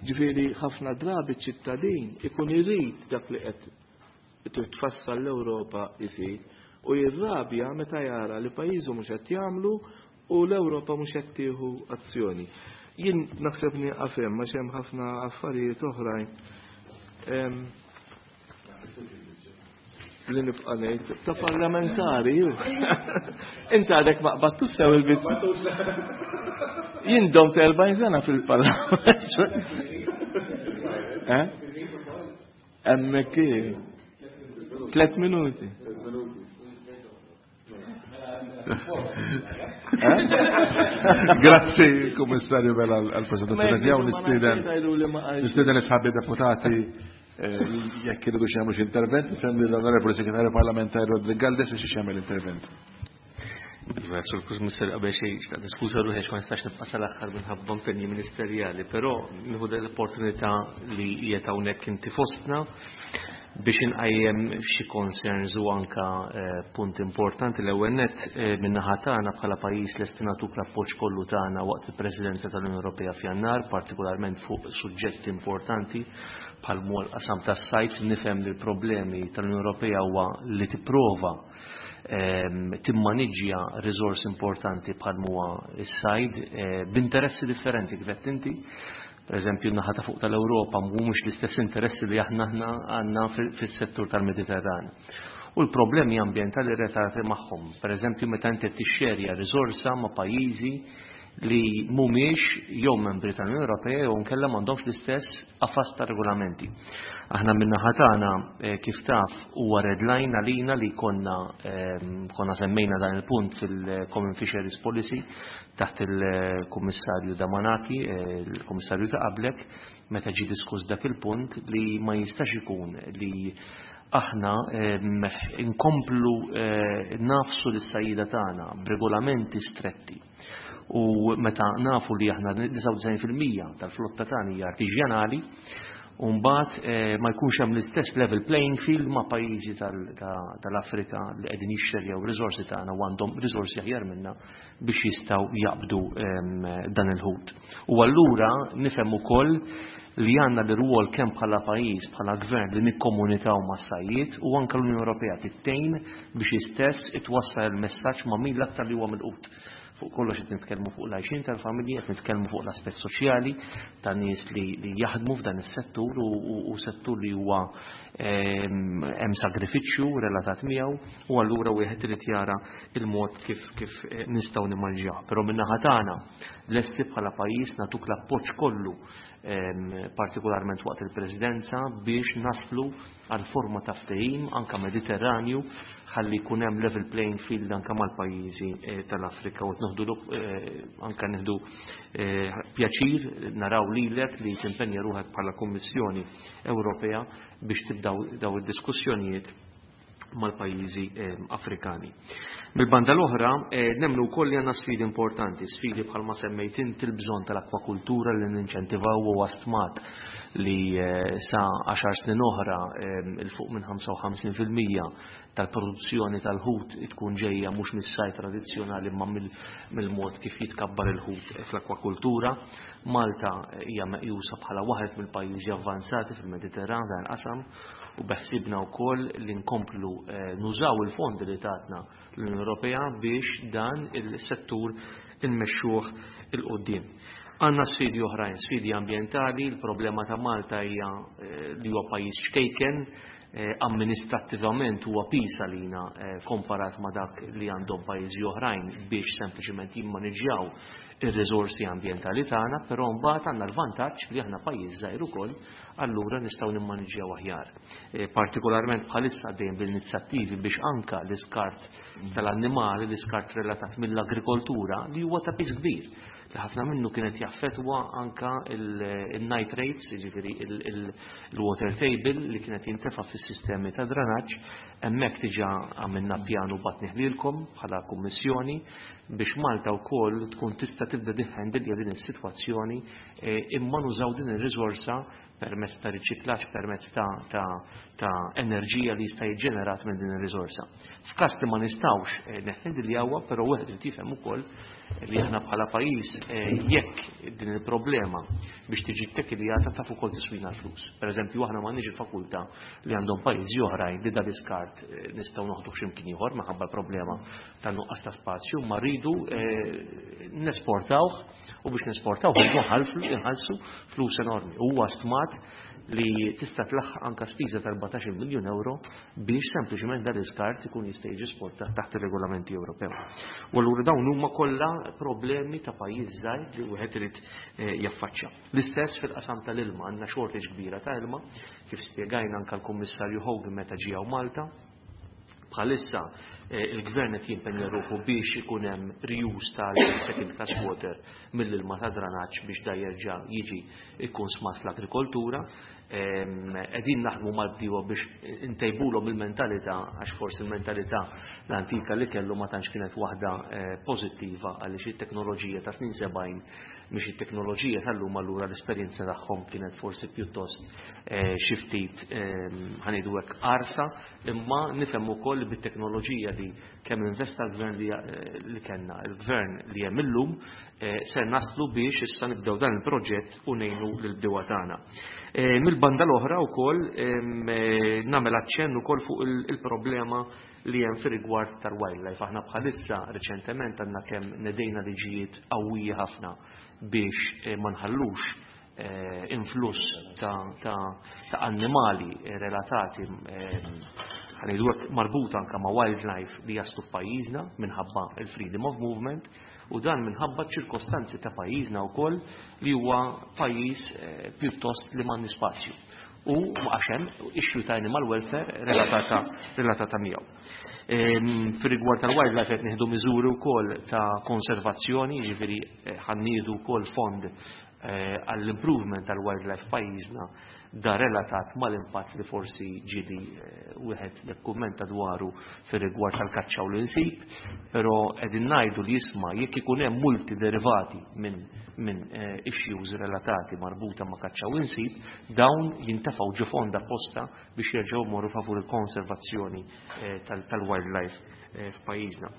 Ġifieri ħafna drabi ċittadin ikun irid dak li qed tfassal l-Ewropa isir u jirrabja meta jara li pajjiżu mhux qed jagħmlu u l-Ewropa mhux qed tieħu azzjoni. Jien naħseb nieqaf hemm għax hemm ħafna affarijiet oħrajn. li nibqa' ngħid ta' parlamentari. Inti għadek ma qbattu sew il-biċċa. Jien domt 40 sena fil-parlament. Eh? Hemmhekk 3 minuti. Grazzi, Kummissarju Vella, għal-presentazzjoni tiegħu nistieden nistieden isħabi deputati eh, jekk iridu xi jagħmlu xi intervent, nifhem li l-Onorevoli Segretarju Parlamentari Rodrik Galdes biex jagħmel intervent. Iva, Sur Kummissarju, qabel xejn xtaqt niskuża ruħi għax ma nistax nibqa' sal-aħħar minħabba impenji ministerjali, però nieħu l-opportunità li qiegħed hawnhekk inti fostna biex inqajjem xi concerns u anka eh, punt importanti. L-ewwel nett eh, min-naħa tagħna bħala pajjiż lesti nagħtuk l-appoġġ kollu tagħna waqt il-Presidenza tal-Unjoni Ewropea f'Jannar, partikolarment fuq suġġetti importanti bħal huwa l-qasam tas-sajd. Nifhem li l-problemi tal-Unjoni Ewropea huwa li tipprova timmaniġġja riżors importanti bħal huwa s-sajd eh, b'interessi differenti kif qed inti. Per eżempju, n-naħa ta' fuq tal-Ewropa mhumiex l-istess interessi li aħna aħna għandna fis-settur tal-Mediterran. U l-problemi ambjentali relatati magħhom. Per eżempju, meta inti tixxerja riżorsa ma' pajjiżi li mhumiex jew membri tal-Unjoni Ewropea jew nkella m'għandhomx l-istess qafas ta' regolamenti. Aħna min-naħa tagħna eh, kif taf huwa red line għalina li konna ehm, konna semmejna dan il-punt fil-Common Fisheries Policy taħt il-Kummissarju Damanaki, eh, il-Kummissarju ta' qablek, meta ġie diskuss dak il-punt li ma jistax ikun li aħna ehm, inkomplu eh, nafsu lis-sajjida tagħna b'regolamenti stretti. U meta nafu li aħna 99% tal-flotta tagħna hija artiġjanali, u mbagħad eh, ma jkunx hemm l-istess level playing field ma' pajjiżi tal-Afrika li qegħdin jixxerjaw riżorsi tagħna u għandhom riżorsi aħjar minna biex jistgħu jaqbdu ehm, dan il-ħut. U allura nifhem ukoll li għandna l-rwol kemm bħala pajjiż, bħala gvern li nikkomunikaw mas-sajjied u anke l-Unjoni Ewropea tittejn biex istess itwassal il-messaġġ ma' min l-aktar li huwa milqut. Fuq kollox qed nitkellmu fuq l-għajxien tal-familji, qed nitkellmu fuq l-aspett soċjali ta' nies li, li jaħdmu f'dan is-settur u, u, u settur li huwa ehm, hemm sagrifiċċju relatat miegħu u allura wieħed irid jara il-mod kif kif eh, nistgħu nimmanġjaw. Però min-naħa tagħna lesti bħala pajjiż nagħtuk l-appoġġ kollu ehm, partikolarment waqt il-Presidenza biex naslu għal forma ta' ftehim anka Mediterranju ħalli jkun hemm level playing field anka mal-pajjiżi eh, tal-Afrika u nieħdu eh, anka nieħdu eh, pjaċir naraw lilek li timpenja ruħek bħala Kummissjoni Ewropea biex tibdaw daw id-diskussjonijiet mal-pajjiżi Afrikani. Mill-banda l-oħra, nemmnu wkoll li għandna sfidi importanti, sfidi bħalma semmejt inti l-bżonn tal-akwakultura li ninċentivaw u stmat li sa 10 snin oħra il fuq minn 55% tal-produzzjoni tal-ħut tkun ġejja mhux mis-sajd tradizzjonali imma mill-mod kif jitkabbar il-ħut fl-akwakultura. Malta hija meqjusa bħala waħed mill-pajjiżi avvanzati fil-Mediterran dan qasam u beħsibna wkoll li nkomplu eh, nużaw il-fondi li tatna l-Unjoni Ewropea biex dan il-settur inmexxuh il-qoddim. Għanna sfidi oħrajn, sfidi ambjentali, il-problema ta' Malta hija eh, li huwa pajjiż ċkejken, eh, amministrattivament huwa piż għalina komparat ma' dak li għandhom pajjiżi oħrajn biex sempliċement jimmaniġġjaw ir-riżorsi ambjentali tagħna, però mbagħad għandna l-vantaġġ li aħna pajjiż żgħir ukoll allura nistgħu nimmaniġġjaw aħjar. Eh, partikolarment bħalissa dejjem bil-inizjattivi biex anka l-iskart tal-annimali, l-iskart relatat mill-agrikoltura li huwa ta' piż kbir li ħafna minnu kienet jaffetwa anka il-nitrates, jiġifieri il-water table li kienet jintefa' fis-sistemi ta' dranaġġ, hemmhekk diġà għamilna pjanu batnih lilkom bħala kummissjoni biex Malta wkoll tkun tista' tibda tiħħendilja din is-sitwazzjoni eh, imma nużaw din ir-riżorsa permezz ta' riċiklaġġ, permezz ta', ta, ta enerġija li jista' jiġġenerat minn din ir-riżorsa. F'każ li ma nistgħux eh, neħħendiljawha, però wieħed irid jifhem ukoll li aħna bħala pajjiż eh, jekk din il-problema biex tiġi ttekiljata taf ukoll tiswina l-flus. Per eżempju, aħna m'għandniex il-fakultà li għandhom pajjiżi oħrajn li dan l-iskart eh, nistgħu noħduh x'imkien ieħor minħabba l-problema ta' nuqqas ta' spazju, ma rridu nesportawh u biex nesportawh inħallsu flus enormi. Huwa stmat li tista' tlaħħaq anka spiża ta' 14 miljun euro biex sempliċement dan l-iskart ikun jista' jiġi sportat taħt ir-regolamenti Ewropew. U allura dawn huma kollha problemi ta' pajjiż żgħir li wieħed irid jaffaċċja. L-istess fil-qasam tal-ilma, għandna shortage kbira ta' ilma, kif spjegajna anka l-Kummissarju Hogan meta ġie hawn Malta. Bħalissa il-gvern qed jimpenja ruħu biex ikun hemm reuse tal-second class water mill-ilma ta' dranaġġ biex da jerġa' jiġi ikun smat fl-agrikoltura. Qegħdin naħdmu mal-bdiewa biex intejbulhom il-mentalità, għax forsi il-mentalità l-antika li kellu ma tantx kienet waħda pożittiva, għaliex it-teknoloġija ta' snin 70 mhix it-teknoloġija tal-lum, allura l-esperjenza tagħhom kienet forsi pjuttost xi ftit ħanidu hekk qarsa, imma nifhem ukoll li bit-teknoloġija li kemm investa l-gvern li kellna, il-gvern li hemm illum, ser naslu biex issa nibdew dan il-proġett u ngħinu lill-bdiewa tagħna. Mill-banda l-oħra wkoll nagħmel aċċenn ukoll fuq il-problema li hemm fir-rigward tal-wildlife. Aħna bħalissa riċentement għandna kemm nedejna liġijiet qawwija ħafna biex ma nħallux influss ta' annimali relatati, ħanejdu hekk, marbuta anka ma' wildlife li jaslu f'pajjiżna minħabba il-freedom of movement, u dan minħabba ċirkostanzi ta' pajjiżna wkoll li huwa pajjiż pjuttost li m'għandni spazju. U għax hemm issue ta' animal welfare relatata miegħu. Fir-rigward tal-wildlife qed nieħdu miżuri wkoll ta' konservazzjoni, jiġifieri ħanniedu wkoll fond għall-improvement tal-wildlife pajjiżna, da relatat mal-impatt li forsi ġieli wieħed jikkummenta dwaru fir-rigward tal-kaċċa u l-insib, però qegħdin ngħidu li jisma' jekk ikun hemm multi derivati minn issues relatati marbuta ma' kaċċa u insib, dawn jintefgħu ġo fond apposta biex jerġgħu morru favur il-konservazzjoni tal-wildlife f'pajjiżna.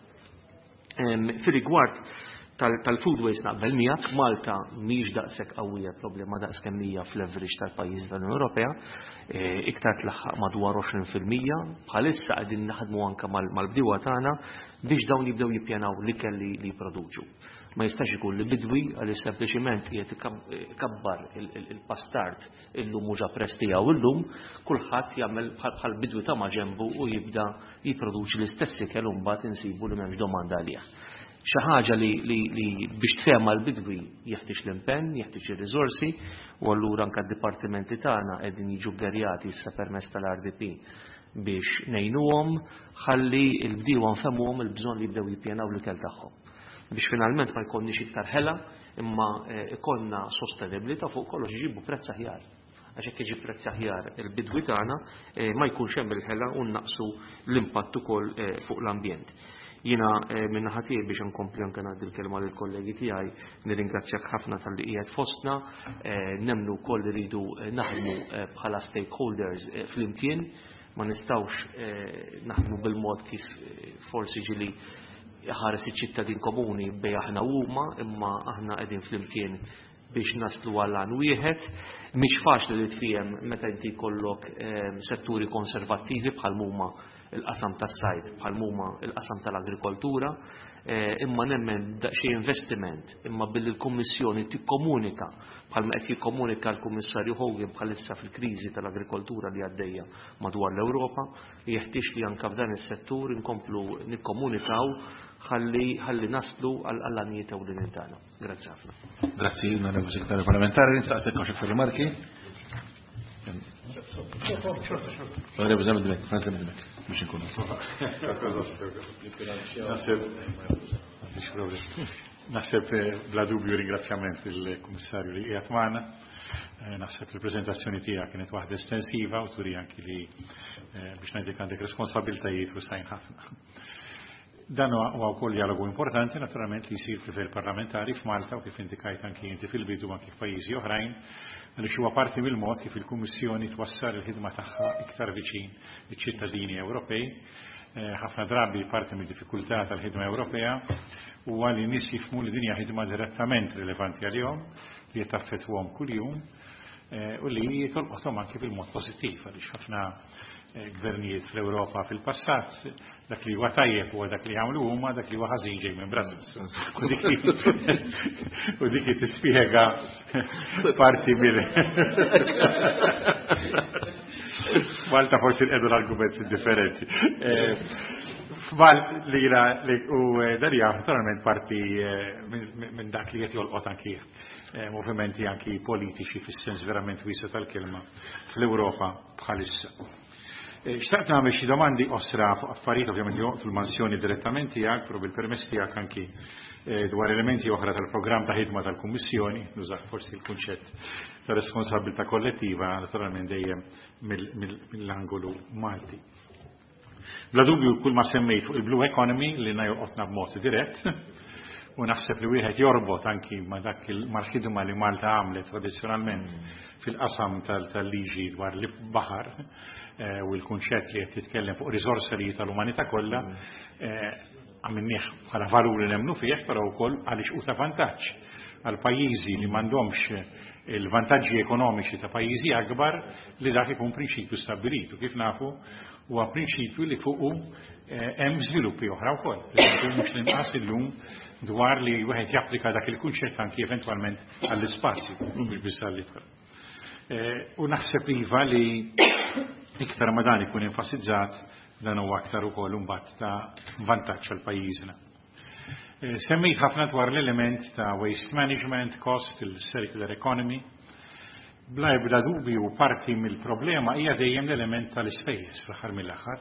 Fir-rigward tal-food waste naqbel miegħek, Malta mhix daqshekk qawwija problema daqs kemm hija fl-average tal-pajjiż tal-Unjoni Ewropea, iktar tlaħħaq madwar 20%, bħalissa qegħdin naħdmu anke mal-bdiewa tagħna biex dawn jibdew jippjanaw l-ikel li jipproduċu. Ma jistax ikun li bidwi għaliex sempliċiment qiegħed ikabbar il-pastart illum mhux apprezz tiegħu illum, kulħadd jagħmel bħal bidwi ta' maġenbu u jibda jipproduċi l-istess ikel u mbagħad insibu li m'hemmx domanda għalih. Xi ħaġa li biex tfehma l-bidwi jeħtieġ l-impenn, jeħtieġ ir-riżorsi, u allura anke d-dipartimenti tagħna qegħdin jiġu ggerjati issa permezz tal-RDP biex ngħinuhom ħalli l-bdiewa nfehmuhom il-bżonn li jibdew jippjanaw l-ikel tagħhom. Biex finalment ma jkollniex iktar ħela, imma ikollna sostenibilità fuq kollox iġibu prezz aħjar. Għax hekk iġib prezz aħjar il-bidwi tagħna ma jkunx hemm il-ħela u naqsu l-impatt ukoll fuq l-ambjent. Jiena minn naħa tiegħi biex nkompli anke ngħaddi l-kelma lill-kollegi tiegħi, nirringrazzjak ħafna talli qiegħed fostna, nemmnu wkoll li rridu naħdmu bħala stakeholders flimkien, ma nistgħux naħdmu bil-mod kif forsi ġili ħares iċ-ċittadin komuni bej aħna huma, imma aħna qegħdin flimkien biex naslu għal għan wieħed. Mhix faċli li tfiem meta inti jkollok setturi konservattivi bħal huma il-qasam tas-sajd, bħal huma il-qasam tal-agrikoltura, imma nemmen daqsxejn investiment, imma billi l-Kummissjoni tikkomunika bħalma qed jikkomunika l-Kummissarju Hogan bħalissa fil-kriżi tal-agrikoltura li għaddejja madwar l-Ewropa, jeħtieġ li anke f'dan is-settur inkomplu nikkomunikaw ħalli naslu għall-għanijiet ewlenin tagħna. Grazzi ħafna. Grazzi, onorevoli Segretarju Parlamentari. Nistaqsek għax iktar rimarki. Onorevoli Zammit Dimech, Franz Zammit Dimech, biex inkunu. Naħseb bla dubju ringrazzjament il-Kummissarju li qiegħed magħna. Naħseb il-preżentazzjoni tiegħek kienet waħda estensiva u turi anki li biex ngħidlek għandek responsabiltajiet u sajn ħafna. Dan huwa wkoll dialogu importanti naturalment li jsir fil parlamentari f'Malta u kif indikajt anki inti fil-bidu anki f'pajjiżi oħrajn, għaliex huwa parti mill-mod kif il-Kummissjoni twassal il-ħidma tagħha iktar viċin iċ-ċittadini Ewropej. Ħafna drabi parti mid-diffikultà tal-ħidma Ewropea huwa li nies jifhmu li din hija ħidma direttament rilevanti għalihom, li taffettwahom kuljum. u li tolqothom anki fil-mod pożittiv, għaliex ħafna gvernijiet fl-Ewropa fil-passat dak li huwa tajjeb huwa dak li jagħmlu huma, dak li huwa ħażin ġej minn Brussels. U dik tispjega parti mill Malta forsi nqedu l-argumenti differenti. F'Mal li u dan hija naturalment parti minn dak li qed jolqot anki movimenti anki politiċi fis-sens verament wiesa' tal-kelma fl-Ewropa bħalissa. Xtaqt nagħmel xi domandi qosra fuq affarijiet ovvjament joqtu l-mansjoni direttament tiegħek, però bil-permess tiegħek anki dwar elementi oħra tal-programm ta' ħidma tal-Kummissjoni, nużah forsi l-kunċett ta' responsabilità kollettiva naturalment dejjem mill-angolu Malti. Bla dubju kull ma semmejt fuq il-Blue Economy li jolqotna b'mod dirett, u naħseb li wieħed jorbot anki ma dak mal-ħidma li Malta għamlet tradizzjonalment fil-qasam tal-liġi dwar l-baħar u l-kunċett li qed titkellem fuq riżorsa li tal-umanità kollha, għamilnieh bħala valur li nemmnu fih, però wkoll għaliex hu ta' vantaġġ għal pajjiżi li m'għandhomx il-vantaġġi ekonomiċi ta' pajjiżi akbar li dak ikun prinċipju stabbilit. U kif nafu huwa prinċipju li fuqu hemm żviluppi oħra wkoll. Mhux l-inqas illum dwar li wieħed japplika dak il-kunċett anki eventwalment għall-ispazju, mhux biss għall-ibħra. U naħseb iva li iktar ma dan ikun enfasizzat, dan huwa aktar ukoll imbagħad ta' vantaġġ għal pajjiżna. Semmejt ħafna dwar l-element ta' waste management, cost, il-circular economy. Bla ebda dubju parti mill-problema hija dejjem l-element tal-ispejjeż fl-aħħar mill-aħħar.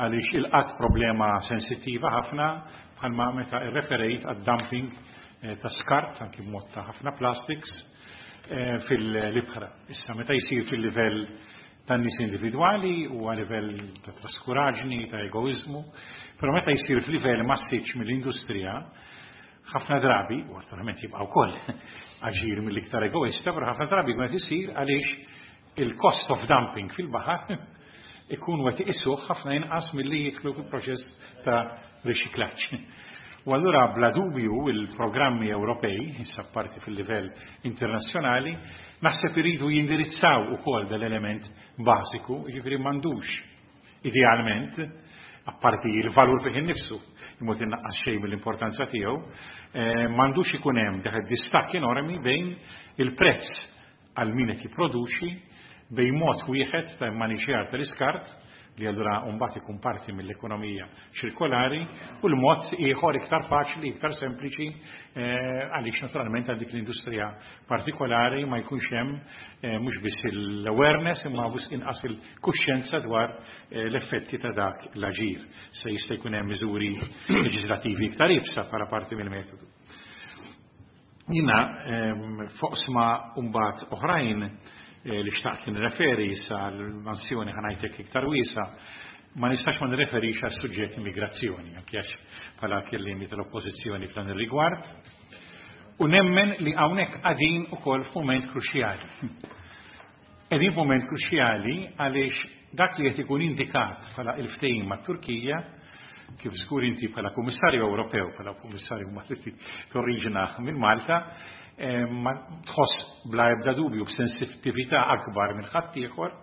Għaliex il-qatt problema sensittiva ħafna bħalma meta irreferejt għad-dumping ta' skart anki b'mod ta' ħafna plastics fil-ibħra. Issa meta jsir fil-livell tan-nies individwali u għal livell ta' traskuraġni, ta' egoizmu, però meta jsir f'livell massiċ mill-industrija, ħafna drabi, u naturalment jibqa' wkoll aġir mill-iktar egoista, però ħafna drabi jkun qed isir għaliex il-cost of dumping fil-baħar ikun qed iqisuh ħafna inqas milli jidħlu fil-proċess ta' riċiklaġġ. U allura bla dubju il-programmi Ewropej, issa parti fil-livell internazzjonali, naħseb iridu jindirizzaw ukoll dal-element bażiku, jiġifieri m'għandux idealment, apparti il-valur fih innifsu, imut innaqqas xejn mill-importanza tiegħu, m'għandux ikun hemm dak id-distakk enormi bejn il-prezz għal min qed jipproduċi, bejn mod wieħed ta' immaniġjar tal-iskart, li allura mbagħad ikun parti mill-ekonomija ċirkolari, u l-mod ieħor iktar faċli, iktar sempliċi, għaliex naturalment għal dik l-industrija partikolari ma jkunx hemm mhux biss l-awareness imma biss inqas il-kuxjenza dwar l-effetti ta' dak l-aġir. Se jista' jkun hemm miżuri leġislattivi iktar iebsa bħala parti mill-metodu. Jiena foqsma mbagħad oħrajn li xtaqt nirreferi issa għall-mansjoni ħanajtek iktar wiesa, ma nistax ma nirreferix għas suġġett immigrazzjoni, anke għax bħala kelliemi tal-oppożizzjoni f'dan ir-rigward. U nemmen li hawnhekk qegħdin ukoll f'mument kruċjali. Qegħdin f'mument kruċjali għaliex dak li qed ikun indikat bħala il-ftehim mat-Turkija, kif żgur inti bħala Kummissarju Ewropew, bħala Kummissarju Malti torriġina minn Malta, ma tħoss bla ebda dubju b'sensittività akbar minn ħaddieħor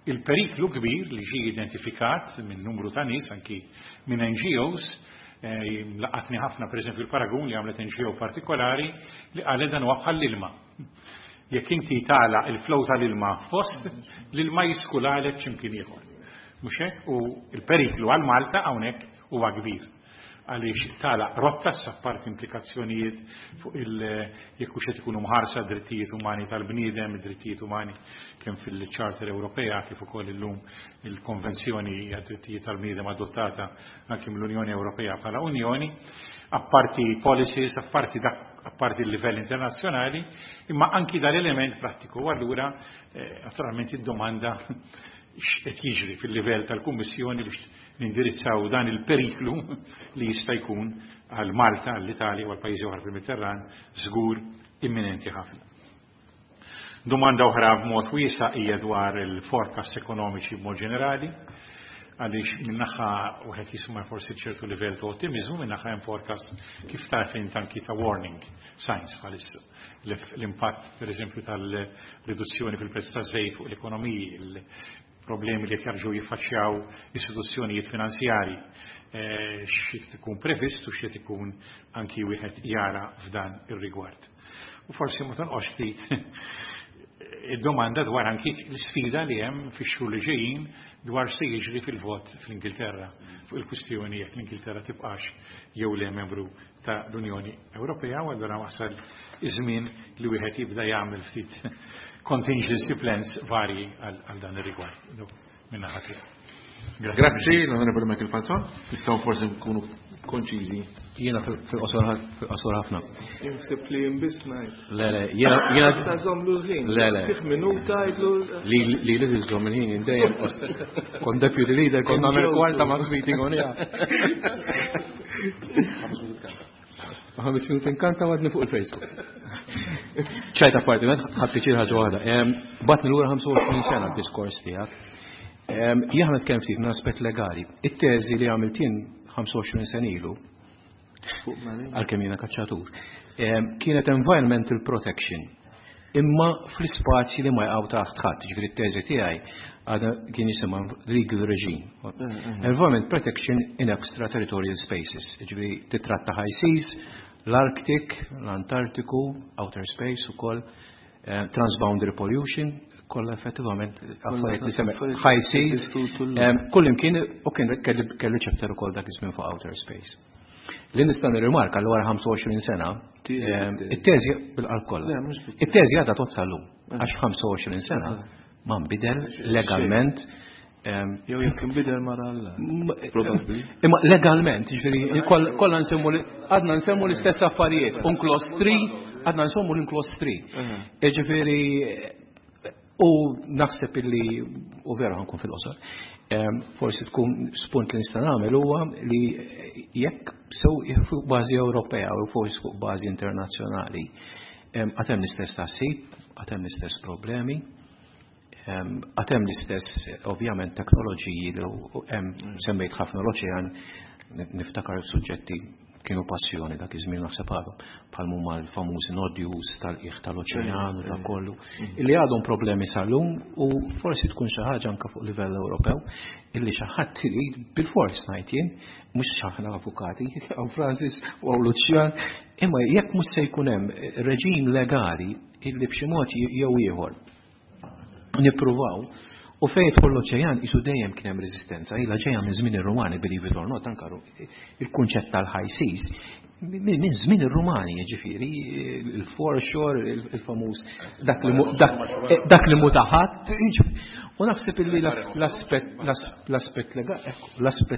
il-periklu kbir li ġie identifikat minn numru ta' nies anki minn NGOs, laqatni ħafna pereżempju l-paragun li għamlet NGO partikolari li qalet dan huwa bħall-ilma. Jekk inti tagħlaq il-flow tal-ilma fost, l-ilma jiskulalek x'imkien ieħor. Mhux hekk? U l-periklu għal Malta hawnhekk huwa kbir. Għaliex tagħlaq rotta s'apparti implikazzjonijiet fuq il jekk hux qed ikunu mħarsa drittijiet umani tal-bniedem, drittijiet umani kemm fil-Charter Ewropea kif ukoll illum il-Konvenzjoni għad-drittijiet tal-bniedem adottata anke mill-Unjoni Ewropea bħala Unjoni, apparti policies, apparti dak, apparti il-livell internazzjonali, imma anki dal-element prattiku. U allura naturalment id-domanda x'qed jiġri fil-livell tal-Kummissjoni biex nindirizzaw dan il-periklu li jista' jkun għal Malta, għall-Italja u għal pajjiżi oħra fil-Mediterran żgur imminenti ħafna. Domanda oħra b'mod wiesa' hija dwar il-forecast ekonomiċi b'mod ġenerali. Għaliex min-naħa wieħed jisma' forsi ċertu livell ta' ottimiżmu, min-naħa hemm forecast kif taf int anki ta' warning signs bħalissa. L-impatt, per eżempju, tal-riduzzjoni fil-prezz taż-żejt fuq l-ekonomiji, il-problemi li qed jerġgħu jiffaċċjaw istituzzjonijiet finanzjarji, xi ikun previst u xi ikun anki wieħed jara f'dan ir-rigward. U forsi ma tonqosx ftit id-domanda dwar anki l-sfida li hemm fix-xhur li ġejjin dwar se jiġri fil-vot fl-Ingilterra fuq il-kwistjoni jekk l-Ingilterra tibqax jew le membru ta' l-Unjoni Ewropea, u allura wasal iż-żmien li wieħed jibda jagħmel ftit contingency plans varji għal dan ir-rigward. Minna ħadd. Grazzi, l-Onorevole Michael Falzon. Nistgħu forsi nkunu konċiżi. Jiena fil-qosor ħafna. Jinħseb li jien biss ngħid. Le, le, jiena. Ta' żommlu l-ħin. Le, le. Fih minuta jgħidlu. Li żomm il-ħin dejjem kon deputy leader kon nagħmel kwarta ma' meeting on ja. 5 minuti nkanta għadni fuq il-Facebook. ċajta parti, ħadd ħaġa waħda. Batni lura 25 sena d-diskors tiegħek. Jien nitkellem ftit minn aspett legali. It-teżi li għamilt jien 25 sena ilu, għalkemm jiena kaċċatur, kienet environmental protection. Imma fl-ispazji li ma jqgħu taħt ħadd, ġifieri t-teżi tiegħi għadha kien jisimha legal regime. Environment protection in extraterritorial spaces, ġifieri titratta high seas, l-Arctic, l-Antartiku, outer space ukoll, transboundary pollution, kollha effettivament affarijiet li semmek high seas, kull imkien u kien kelli chapter ukoll dak iż-żmien fuq outer space. Li nista' nirrimarka li wara 25 sena, it-teżi bil-qalb kollha. It-teżi għadha tgħodd sal-lum, għax 25 sena ma nbidel legalment. Jew jekk inbidel mara Alla. Probabbli. Imma legalment, ġifieri, kollha nsemmu li għadna nsemmu l-istess affarijiet. UNCLOS 3, għadna nsemmu l-UNCLOS 3. Ġifieri, u naħseb illi, u vera ħankun fil-qosor, forsi tkun spunt li nista' nagħmel huwa li jekk sew fuq bażi Ewropea u forsi fuq bażi internazzjonali, għad hemm l-istess tħassib, għad hemm l-istess problemi, għad hemm l-istess ovvjament teknoloġiji li hemm semmejt ħafna l-oċean, niftakar suġġetti kienu passjoni dak iż-żmien naħseb għadhom, bħal huma l-famużi nodules tal-qiegħ tal-oċean u dak kollu, illi għadhom problemi sal-lum u forsi tkun xi ħaġa anke fuq livell Ewropew illi xi ħadd irid bil-fors ngħid jien, mhux aħna avukati, hawn Francis u hawn Lucian, imma jekk mhux se jkun hemm reġim legali illi b'xi mod jew ieħor nippruvaw. U fejn jidħol l-oċean isu dejjem kien hemm reżistenza, ilha ġejja minn żmien ir-Rumani, believe it or not, anka il-kunċett tal-high seas, minn żmien ir-Rumani, jiġifieri il-foreshore, il-famuż dak li mutaħat. U naħseb illi l-aspett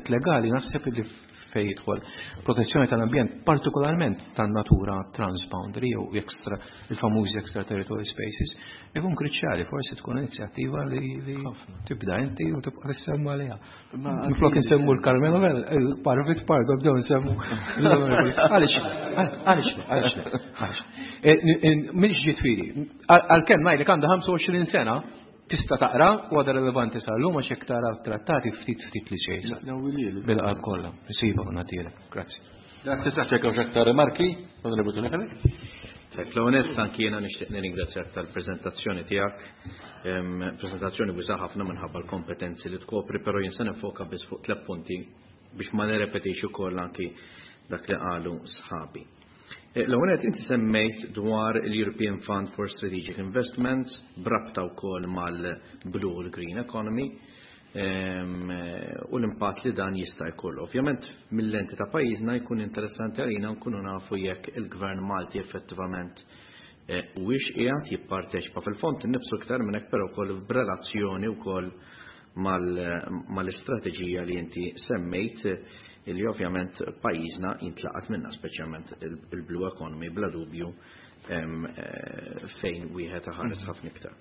legali, naħseb illi fejn jidħol protezzjoni tal-ambjent, partikolarment tan-natura transboundary jew extra, il-famużi extraterritorial spaces, ikun kruċjali, forsi tkun inizjattiva li tibda inti u tibqa' tissemma għaliha. Minflok nsemmu l-Karmenu, il-Parvit Pardo, bdew nsemmu. Għaliex, għaliex, għaliex, għaliex. Mhix ġifieri, għalkemm ngħidlek għandha 25 sena, tista' taqra u għadha relevanti sal-lum għax jekk tara trattati ftit ftit li xejn. Bil-qalb kollha, nsiba u nagħtielek. Grazzi. Grazzi, saqsek hawn aktar rimarki, Onorevoli Tony Fenech. L-ewwel anki jiena nixtieq nirringrazzjak tal-preżentazzjoni tiegħek. Preżentazzjoni wiesgħa ħafna minħabba l-kompetenzi li tkopri, però jien se nifoka biss fuq tliet punti biex ma nirrepetix ukoll anki dak li qalu sħabi. L-ewwel qed inti semmejt dwar il-European Fund for Strategic Investments brabta wkoll mal-Blue u l-Green Economy u l-impatt li dan jista' jkollu. Ovvjament mill-lenti ta' pajjiżna jkun interessanti għalina nkunu nafu jekk il-Gvern Malti effettivament huwiex qiegħed jipparteċipa fil-fond innifsu iktar minn hekk però wkoll b'relazzjoni wkoll mal-istrateġija li inti semmejt li ovvjament pajjiżna jintlaqat minna, speċjalment il-Blue Economy bla dubju fejn wieħed iħares ħafna iktar.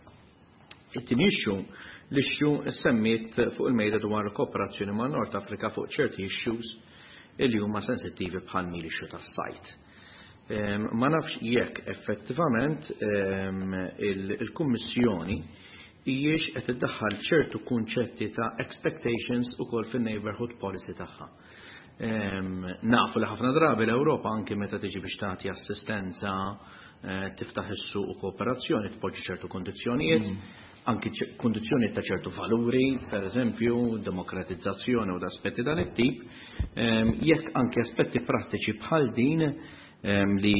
It-tieni issue, l-issue semmiet fuq il-mejda dwar kooperazzjoni ma' Nord Afrika fuq ċerti issues li huma sensittivi bħal l-issue tas-sajd. Ma nafx jekk effettivament il-Kummissjoni hijiex qed iddaħħal ċertu kunċetti ta' expectations ukoll fin-neighborhood policy tagħha. Nafu li ħafna drabi l-Ewropa anki meta tiġi biex tagħti assistenza, tiftaħ is-suq u kooperazzjoni, tpoġġi ċertu kondizzjonijiet, anki kondizzjonijiet ta' ċertu valuri, per eżempju, demokratizzazzjoni u aspetti dan it-tip, jekk anki aspetti prattiċi bħal din li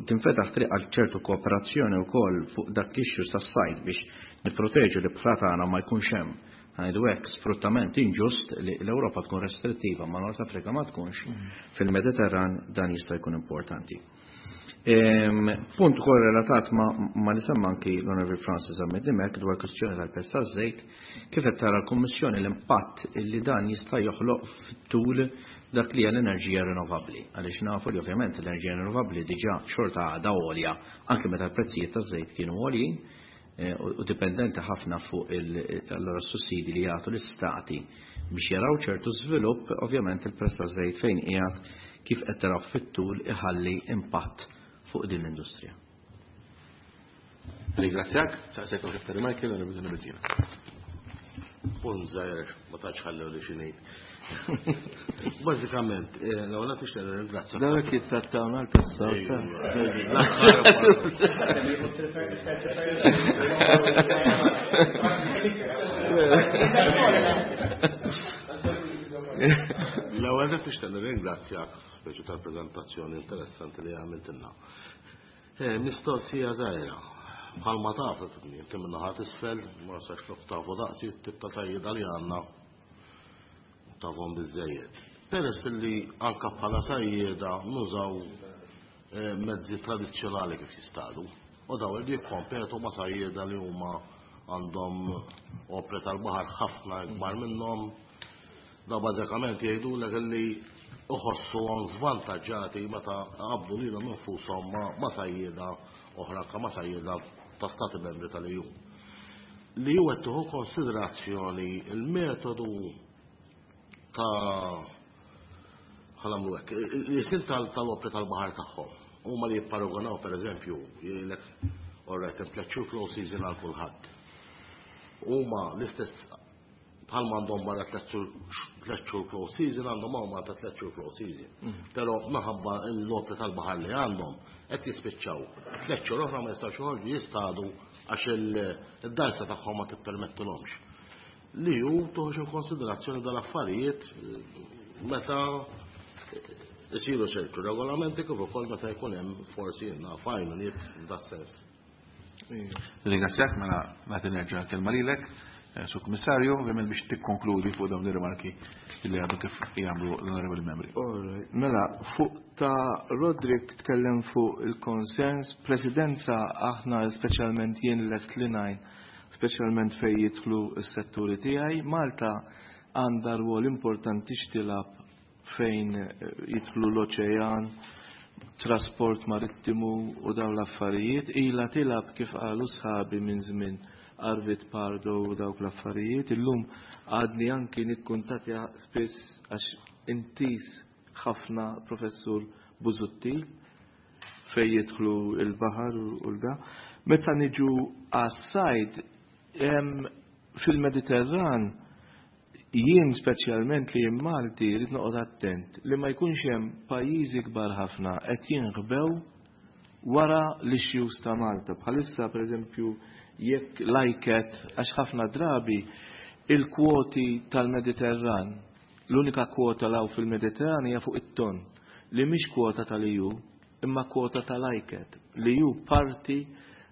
tinfetaħ triq għal ċertu kooperazzjoni wkoll fuq dak l-issues tas-sajd biex nipproteġu li bħla tagħna ma jkunx hemm, ħa ngħidu hekk, sfruttament inġust li l-Ewropa tkun restrittiva ma Nord Afrika ma tkunx, fil-Mediterran dan jista' jkun importanti. Punt ukoll relatat ma li semma anki l-Onorevoli Francis Zammit Dimech dwar kwistjoni tal-prezz taż-żejt, kif qed tara l-Kummissjoni l-impatt li dan jista' joħloq fit-tul dak li hija l-enerġija rinnovabbli, għaliex nafu li ovvjament l-enerġija rinnovabbli diġà xorta għadha għolja anke meta l-prezzijiet taż-żejt kienu għoljin u dipendenti ħafna fuq allura s-sussidi li jagħtu l-istati biex jaraw ċertu żvilupp, ovvjament il-prezz taż-żejt fejn qiegħed kif qed taraw fit-tul iħalli impatt fuq din l-industrija. Ringrazzjak, saqsejk għal Dr. Michael, għal Biduna Bezzina. Punt żgħir, ma tantx ħallew li xi ngħid. Bażikament, l-ewwel qed nixtieq nirringrazzja. Dawk jittrattawna l-passat. L-ewwel qed nixtieq nirringrazzjak speċi tal-preżentazzjoni interessanti li għamiltilna. Mistoqsija żgħira. Bħalma taf, inti minn naħa t'isfel, ma sax lok tafu daqsi t-tip ta' sajjieda li għandna tafhom biżejjed. Peress li anka bħala sajjieda nużaw mezzi tradizzjonali kif jistadu, u daw li jikkompetu ma' sajjieda li huma għandhom opri tal-baħar ħafna ikbar minnhom, daw bażikament jgħidulek li uħossuhom żvantaġġati meta qabdu lilhom infushom ma' sajjieda oħra anke ma' sajjieda ta' stati membri tal-EU. Li hu qed tieħu konsiderazzjoni il-metodu ta' ħa nagħmlu hekk, il-isim tal-opri tal-baħar tagħhom. Huma li jipparagonaw pereżempju jgħidlek alright hemm 3 xhur low season għal kulħadd. Huma l-istess bħalma għandhom barra 3 xhur close season għandhom hawn Malta 3 xhur close season. Però minħabba l-opri tal-baħar li għandhom qed jispiċċaw 3 xhur oħra ma jistgħux joħorġu jistadu għax id-dgħajsa tagħhom ma tippermettilhomx. Li hu toħroġ in konsiderazzjoni dal-affarijiet meta isiru ċertu regolamenti kif ukoll meta jkun hemm forsi għajnuniet f'das-sens. Ringrazzjak, mela nagħti nerġa' l-kelma lilek, Sur Kummissarju, ovvjament biex tikkonkludi fuq dawn ir-rimarki li għadu kif jagħmlu l-onorevoli membri. Mela, fuq ta' Roderick tkellem fuq il-konsens, presidenza aħna speċjalment jien lest li ngħin, speċjalment fejn jidħlu s-setturi tiegħi, Malta għandha rwol importanti x'tilgħab fejn jidħlu l-oċean, trasport marittimu u dawn l-affarijiet, ilha tilgħab kif qalu sħabi minn żmien Arvid Pardo u dawk l-affarijiet. Illum għadni anki nikkuntatja spiss għax intis ħafna Professur Busuttil fej jidħlu il-baħar u l-da. Meta niġu għas-sajd fil-Mediterran, jien speċjalment li jien Malti rrid noqgħod attent li ma jkunx hemm pajjiżi kbar ħafna qed jinħbew wara l-issues ta' Malta. Bħalissa pereżempju jekk l-ICCAT, għax ħafna drabi il-kwoti tal-Mediterran, l-unika kwota law fil-Mediterran hija fuq it-ton, li mhix kwota tal-EU, imma kwota tal-ICCAT, li hu parti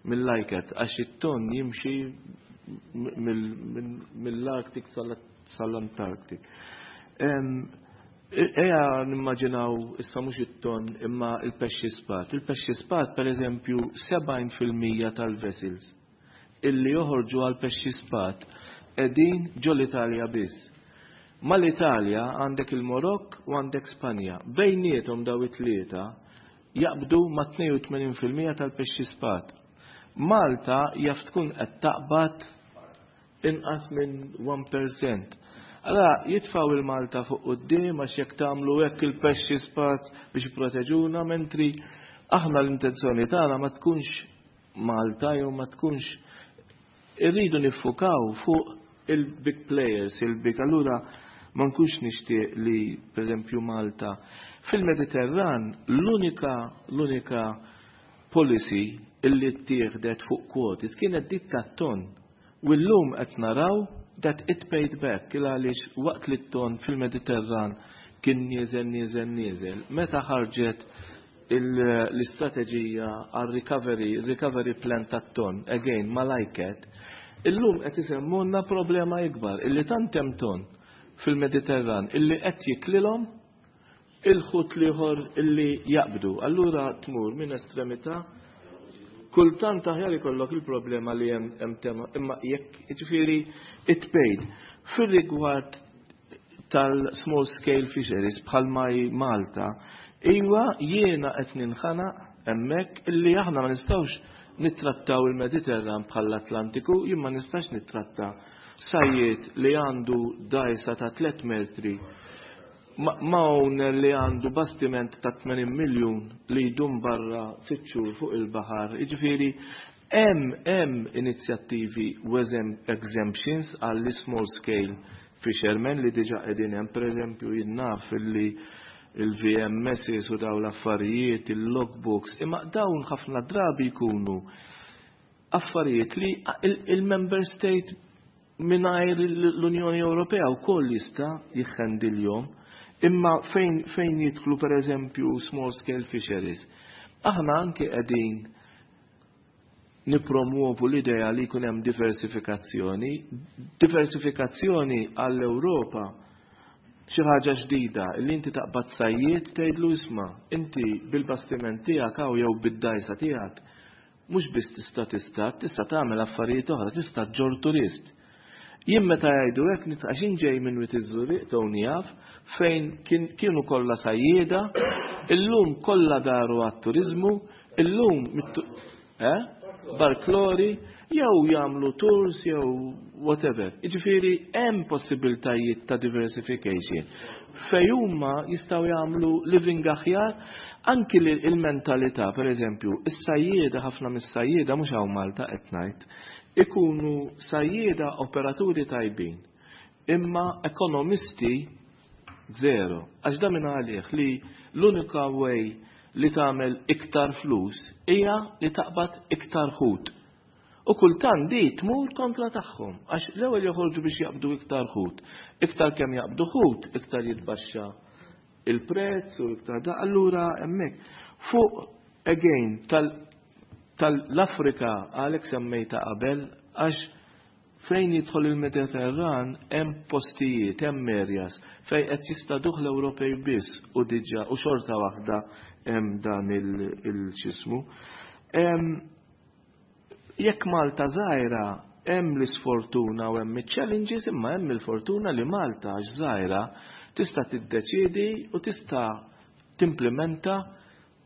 mill-ICCAT, għax it-ton jimxi mill-Arctic sal-Antarctic. Eja nimmaġinaw issa mhux it-ton imma il-pexxi spat. Il-pexxi spat, per eżempju, 70% tal-vessels illi joħorġu għal pexxi spat qegħdin ġol Italja biss. Mal-Italja għandek il-Marokk u għandek Spanja. Bejniethom daw it-tlieta jaqbdu ma' 82% tal-pexxi spat. Malta jaf tkun qed taqbad inqas minn 1%. Allora jitfaw il-Malta fuq quddiem għax jekk tagħmlu hekk il-pexxi spat biex jipproteġuna, mentri aħna l-intenzjoni tagħna ma tkunx Malta jew ma tkunx Irridu niffukaw fuq il-big players, il-big, allura ma nkunx nixtieq li, pereżempju, Malta fil-Mediterran l-unika policy illi ttieħdet fuq kwotas kienet dik tat-ton. U llum qed naraw that it paid back, il għaliex waqt li t-ton fil-Mediterran kien nieżel, nieżel, nieżel, meta ħarġet l-istrateġija għal recovery, recovery plan tat-ton, again, mal-ICCAT, illum qed isemmulna problema ikbar, illi tant hemm ton fil-Mediterran illi qed jiklilhom il-ħut l-ieħor illi jaqbdu. Allura tmur minn estremità, kultant aħjar ikollok il-problema li hemm tema, imma jekk, ġifieri, it paid. Fir-rigward tal-small scale fisheries bħal Malta, iwa, jiena qed ninħanaq hemmhekk illi aħna ma nistgħux nittrattaw il-Mediterran bħall-Atlantiku. Jien ma nistax nittratta sajjied li għandu dajsa ta' 3 metri ma' owner li għandu bastiment ta' 80 miljun li jdum barra 6 xhur fuq il-baħar. Jiġifieri hemm inizjattivi u exemptions għall small scale fishermen li diġa qegħdin hemm. Pereżempju, jien naf illi il-VMS u daw l-affarijiet, il-logbooks, imma dawn ħafna drabi jkunu affarijiet li il-member state mingħajr l-Unjoni Ewropea wkoll jista' jihhendiljhom. Imma fejn jidħlu, per eżempju, small scale fisheries, aħna anke qegħdin nipromuovu l-idea li jkun hemm diversifikazzjoni. Diversifikazzjoni għall-Ewropa xi ħaġa ġdida li inti taqbad sajjied, tgħidlu: "Isma', inti bil-bastiment tiegħek hawn jew bid-dajsa tiegħek mhux biss tista' tista' tagħmel affarijiet oħra, tista' ġġorr turist." Jien meta jgħidu hekk nitqax ġej minn Wied iż-Żurrieq, Tony jaf, fejn kienu kollha sajjieda, illum kollha daru għat-turizmu, illum eh? Barklori, jew jagħmlu tours jew whatever. Jiġifieri hemm possibiltajiet ta' diversification fej huma jistgħu jagħmlu living aħjar, anki il-mentalità, per eżempju, is-sajjieda, ħafna mis-sajjieda, mhux hawn Malta qed ngħid, ikunu sajjieda operaturi tajbin, imma ekonomisti zero. Għax da minn għalih li l-unika way li tagħmel iktar flus hija li taqbad iktar ħut. U kultant di tmur kontra tagħhom, għax l-ewwel joħorġu biex jaqbdu iktar ħut. Iktar kemm jaqbdu ħut, iktar jitbaxxa il-prezz u iktar da. Allura hemmhekk fuq again tal-Afrika għalek semmejta qabel, għax fejn jidħol il-Mediterran hemm postijiet, hemm areas fejn qed jistaduh l-Ewropej biss u diġà u xorta waħda hemm dan il-xismu. Jekk Malta żgħira, hemm l-isfortuna u hemm iċ-challenges, imma hemm il-fortuna li Malta, għax żgħira, tista' tiddeċiedi u tista' timplementa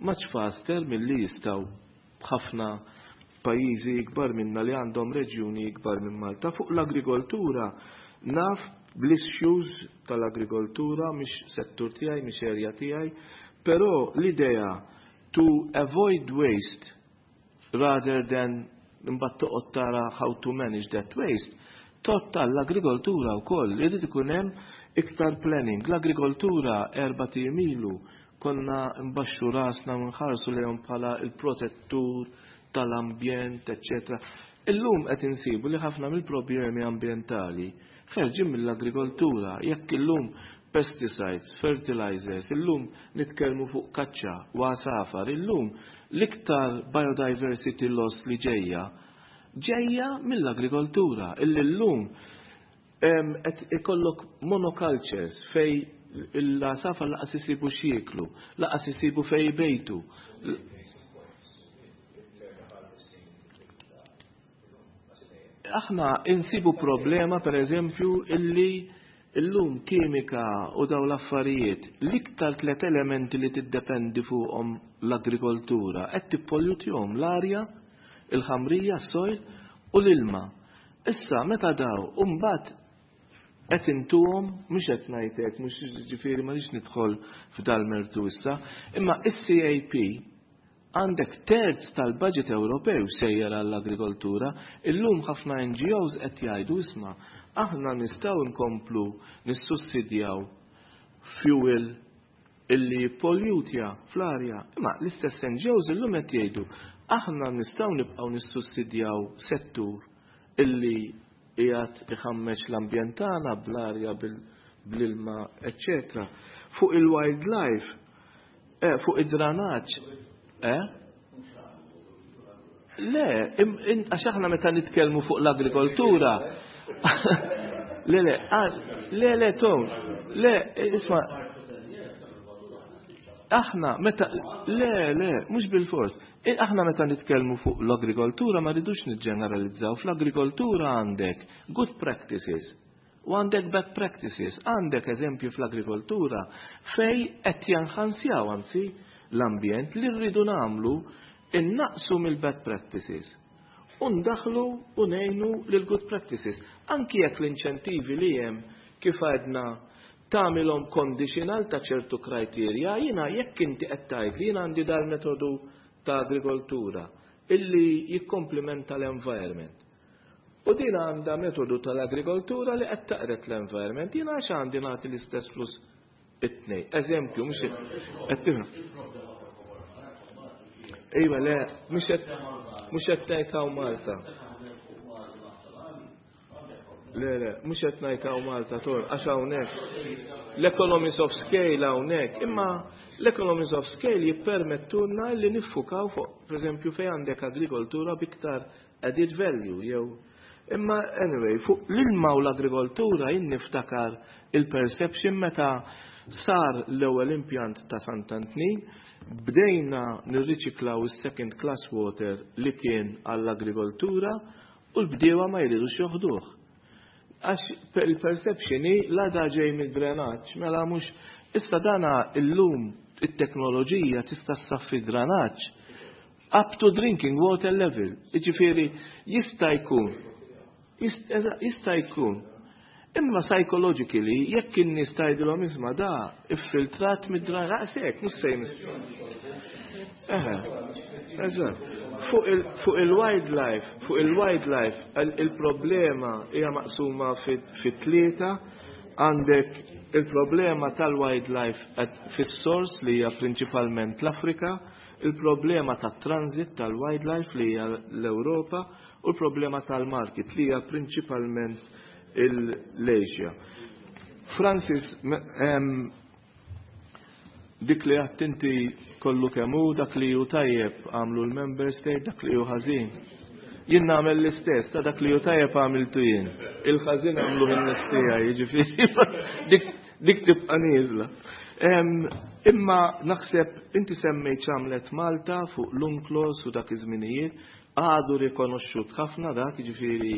much faster milli jistgħu ħafna pajjiżi ikbar minna li għandhom reġjuni ikbar minn Malta. Fuq l-agrikoltura, naf bl-issues tal-agrikoltura, mhix settur tiegħi, mhix area tiegħi, però l-idea to avoid waste rather than imbagħad toqgħod tara how to manage that waste, tot tal-agrikoltura wkoll irid ikun hemm iktar planning. L-agrikoltura 4 ijiem ilu konna mbaxxu rasna u nħarsu lejhom bħala il-protettur tal-ambjent, eccetera. Illum qed insibu li ħafna mill-problemi ambjentali ħerġin mill-agrikoltura. Jekk illum pesticides, fertilizers, illum nitkellmu fuq kaċċa u għasafar, illum l-iktar biodiversity loss li ġejja ġejja mill-agrikoltura, illi llum qed ikollok monocultures fej l-għasafar lanqas isibu x'jieklu, lanqas isibu fej bejtu. Aħna insibu problema, per eżempju, illi illum kimika u daw l-affarijiet, l-iktar tlet elementi li tiddependi fuqhom l-agrikoltura, qed tippollutjhom: l-arja, il-ħamrija, s-soil u l-ilma. Issa meta daw, mbagħad qed intuhom, mhux qed ngħidlek, mhux, ġifieri ma nix nidħol f'dal mertu issa, imma is-CAP. Għandek terz tal-budget Ewropew sejjer għall-agrikoltura, illum ħafna NGOs qed jgħidu isma' aħna nistgħu nkomplu nissussidjaw fuel illi jippollutja fl-arja. Imma l-istess NGOs illum qed jgħidu aħna nistgħu nibqgħu nissussidjaw settur illi qiegħed iħammeġ l-ambjent tagħna bl-arja bl-ilma, eċċetera. Fuq il-wildlife, eh, fuq id-dranaġġ, eh? Le, għax aħna meta nitkellmu fuq l-agrikoltura, le, le, le, le, Tom, le, isma, aħna meta, le, le, mhux bil-fors, aħna meta nitkellmu fuq l-agrikoltura ma rridux niġġeneralizzaw, fl-agrikoltura għandek good practices u għandek bad practices, għandek eżempju fl-agrikoltura fej qed jenħansjaw anzi l-ambjent li rridu nagħmlu innaqsu mill-bad practices. U ndaħlu u ngħinu lil good practices. Anki jekk l-inċentivi li hemm kif għedna tagħmilhom conditional ta' ċertu criteria, jiena jekk inti qed tgħid li jiena għandi dal-metodu ta' agrikoltura illi jikkomplimenta l-environment. U din għandha metodu tal-agrikoltura li qed taqret l-environment, jiena għax għandi nagħti l-istess flus it-tnej. Eżempju, mhux qed tifhem. Iva, le, mhux qed ngħid hawn Malta. Le, le, mhux qed ngħid hawn Malta tor, għax hawnhekk. L-economies of scale hawnhekk, imma l-economies of scale jippermettulna li niffukaw fuq, pereżempju, fejn għandek agrikoltura biktar added value jew Imma anyway, fuq l-ilma u l-agrikoltura jien niftakar il-perception meta sar l-ewwel impjant ta' Sant'Antnin, bdejna nirriċiklaw is-second class water li kien għall-agrikoltura u l-bdiewa ma jridux joħduh. Għax il-perception hi la da ġej mid-drenaġġ, mela mhux issa dana illum it-teknoloġija tista' ssaffi drenaġġ up to drinking water level. Jiġifieri jista' jkun jista' jkun. Imma psychologically, jekk in-nies tgħidilhom isma' da iffiltrat mid-drenaġġ, hekk mhux se Eħe, eżatt. Fuq il-wildlife, fuq il-wildlife, il-problema hija maqsuma fit tlieta għandek il-problema tal-wildlife fis-sors li hija prinċipalment l-Afrika, il-problema tat-transit tal-wildlife li hija l-Ewropa u l-problema tal-market li hija prinċipalment l-Asia. Francis, dik li għedt inti kollu kemm hu, dak li hu tajjeb għamlu l-member state, dak li hu ħażin. Jien nagħmel l-istess, ta' dak li hu tajjeb għamiltu jien. Il-ħażin għamlu in-nies tiegħi, jiġifieri dik tibqa' nieżla. Imma naħseb inti semmejt x'għamlet Malta fuq l-UNCLOS u dak iż-żminijiet, għadu rikonoxxut ħafna dak, jiġifieri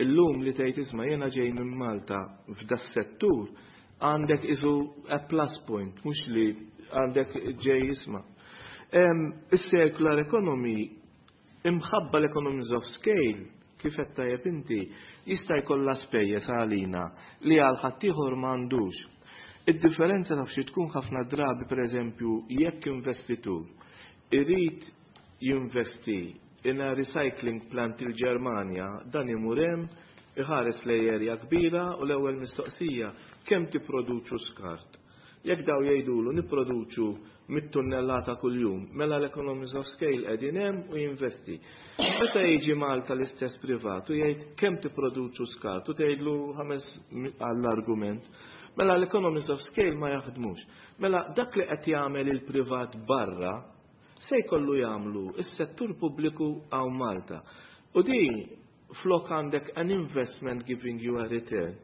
illum li tgħid isma' jiena ġej minn Malta f'da settur għandek isu a plus point, mhux li għandek ġej isma'. Is-circular economy imħabba l-economies of scale, kif qed tajjeb inti, jista' jkollha spejjeż għalina li għal ħaddieħor m'għandux. Id-differenza taf xi tkun ħafna drabi pereżempju jekk investitur irid jinvesti in a recycling plant il-Ġermanja, dan imur hemm iħares lej erja kbira u l-ewwel mistoqsija kemm tipproduċu skart. Jekk daw jgħidulu nipproduċu mit-tunnellata kuljum, mela l-economies of scale qegħdin hemm u jinvesti. Meta jiġi Malta l-istess privat u jgħid kemm tipproduċu skart u tgħidlu ħames għall-argument, mela l-economies of scale ma jaħdmux. Mela dak li qed jagħmel il-privat barra se jkollu jagħmlu is-settur pubbliku hawn Malta. U din flok għandek an investment giving you a return.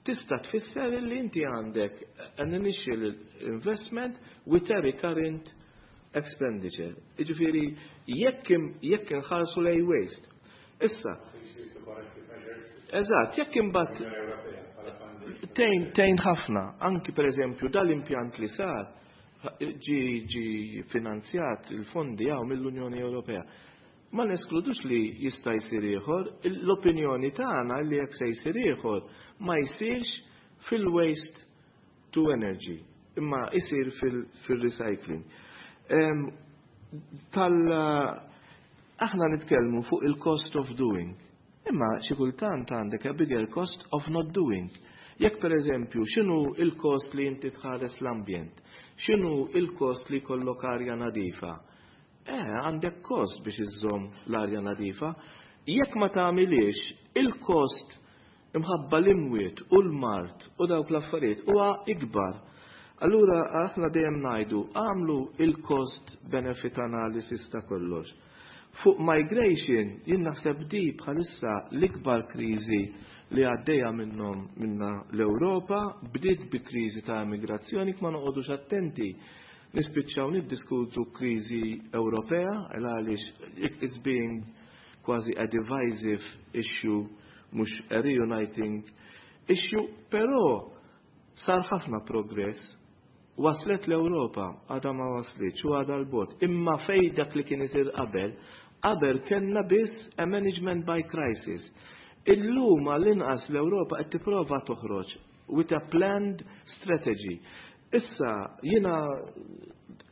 Tista' tfisser li inti għandek an initial investment with a recurrent expenditure. Jiġifieri jekk inħarsu lej waste. Issa, Eżatt, jekk imbagħad tgħin ħafna, anki pereżempju dal-impjant li sar ġi finanzjat il-fondi għaw mill-Unjoni Ewropea. Ma neskludux li jista' jsir ieħor, l-opinjoni tagħna li jekk se jsir ieħor ma jsirx fil-waste to energy, imma jsir fil-recycling. Tal aħna nitkellmu fuq il-cost of doing. Imma xi kultant għandek a bigger cost of not doing. Jekk, per eżempju, x'inhu il-cost li inti tħares l-ambjent? X'inhu il-cost li jkollok arja nadifa? Għandek cost biex iżżomm l-arja nadifa. Jekk ma tagħmilix, il-cost imħabba l-imwiet u l-mard u dawk l-affarijiet huwa ikbar. Allura aħna dejjem ngħidu għamlu il-cost benefit analysis ta' kollox. Fuq migration, jien naħseb di bħalissa l-ikbar kriżi li għaddejja minnhom minna l-Ewropa. Bdiet bi kriżi ta' immigrazzjoni, ma noqogħdux attenti nispiċċaw niddiskutu kriżi Ewropea, għaliex it's being kważi a divisive issue, mhux a reuniting issue, però sar ħafna progress. Waslet l-Ewropa, għadha ma waslitx u għadha 'l bogħod. Imma fej dak li kien isir qabel, qabel kellna biss a management by crisis. Illum għall-inqas l-Ewropa qed tipprova toħroġ with a planned strategy. Issa jiena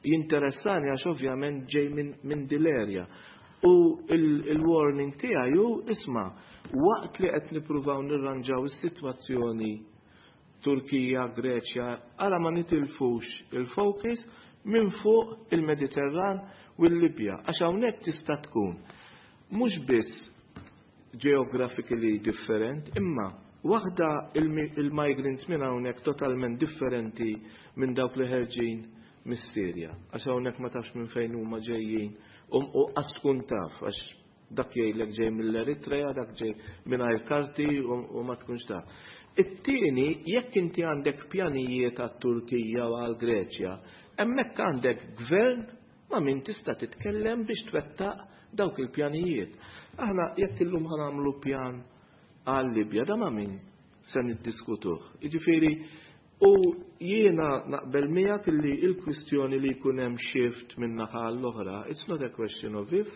jinteressani għax ovvjament ġej minn dil-area. U il-warning tiegħi hu, isma', waqt li qed nippruvaw nirranġaw is-sitwazzjoni Turkija, Greċja, għala ma nitilfux il-focus minn fuq il-Mediterran u l-Libja, għax hawnhekk tista' tkun mhux biss geographically different, imma waħda il-migrants minn hawnhekk totalment differenti minn dawk li ħerġin mis-Sirja, għax hawnhekk ma tafx minn fejn huma ġejjin u qas tkun taf, għax dak jgħidlek ġej mill-Eritrea, dak ġej mingħajr karti u ma tkunx taf. It-tieni, jekk inti għandek pjanijiet għat-Turkija u għal-Greċja, hemmhekk għandek gvern ma' min tista' titkellem biex twettaq dawk il-pjanijiet. Aħna jekk illum ħa nagħmlu pjan għal-Libja, da ma' min se niddiskutuh? Jiġifieri, u jiena naqbel miegħek li il-kwistjoni li jkun hemm shift minn naħa l-oħra, it's not a question of if,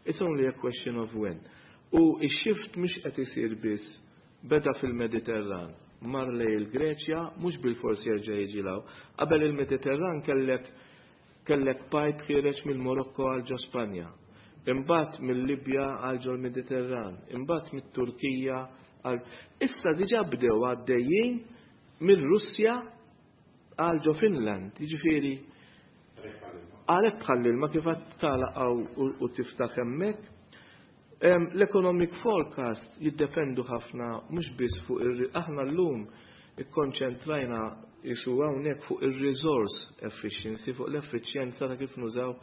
it's only a question of when. U x-shift mhux qed isir biss, beda fil-Mediterran, mar lejn il-Greċja, mhux bil-forsi jerġa' jiġi 'l hawn. Qabel il-Mediterran kellek pipe ħiereġ mill-Morokko għal ġo Spanja. Imbagħad mill-Libja għal ġo l-Mediterran, imbagħad mit-Turkija għal. Issa diġà bdew għaddejjin mill-Russja għal ġo Finland, jiġifieri għalhekk bħal ma kif tagħlaq u tiftaħ hemmhekk. L-economic forecast jiddependu ħafna mhux biss fuq ir aħna llum ikkonċentrajna jisu hawnhekk fuq ir-resource efficiency, fuq l-effiċjenza ta' kif nużaw,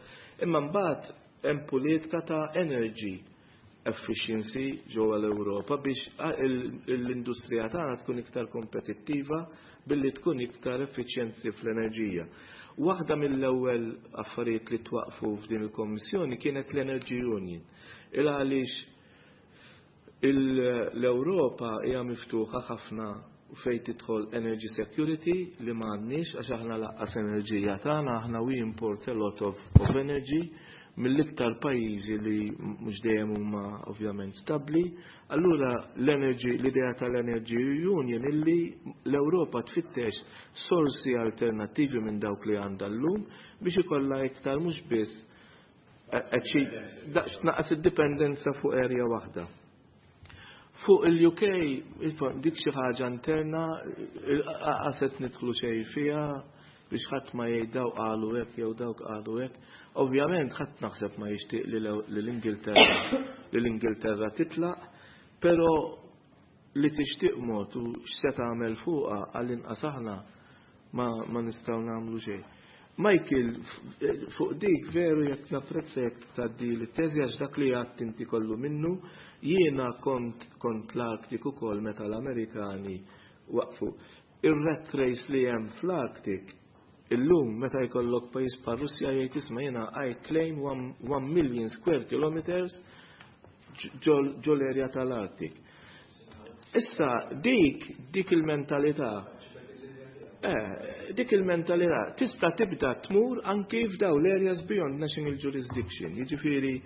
imma mbagħad hemm politika ta' energy efficiency ġewwa l-Ewropa biex l-industrija tagħna tkun iktar kompetittiva billi tkun iktar effiċjenti fl-enerġija. Waħda mill-ewwel affarijiet li twaqfu f'din il-Kommissjoni kienet l-Energy Union. Il għaliex l-Ewropa hija miftuħa ħafna fejn tidħol energy security li m'għandniex, għax aħna lanqas enerġija tagħna, aħna we import a lot of energy mill-iktar pajjiżi li mhux dejjem huma ovvjament stabbli. Allura l-energy, l-idea tal-Energy Union illi l-Ewropa tfittex sorsi alternattivi minn dawk li għandha llum biex ikollha iktar, mhux biss tnaqqas id-dipendenza fuq area waħda. Fuq il-UK, dik xi ħaġa interna, qed nidħlu xejn fiha biex ħadd ma jgħid dawk qalu hekk jew dawk qalu hekk. Ovvjament ħadd naħseb ma jixtieq li l-Ingilterra titlaq, però li tixtieq mod u x'se tagħmel fuqha, għall-inqas aħna ma nistgħu nagħmlu xejn. Michael, fuq dik veru jekk napprezza jekk tgħaddi l-teżi, għax dak li għedt inti kollu minnu. Jiena kont l-Arctic ukoll meta l-Amerikani waqfu. Ir-rat race li hemm fl-Arctic illum, meta jkollok pajjiż bħal Russja jgħid, "Isma', jiena I claim 1 million square kilometers ġo l-area tal-Arctic." Issa dik il-mentalità tista' tibda tmur anki f'daw l-areas beyond national jurisdiction. Jiġifieri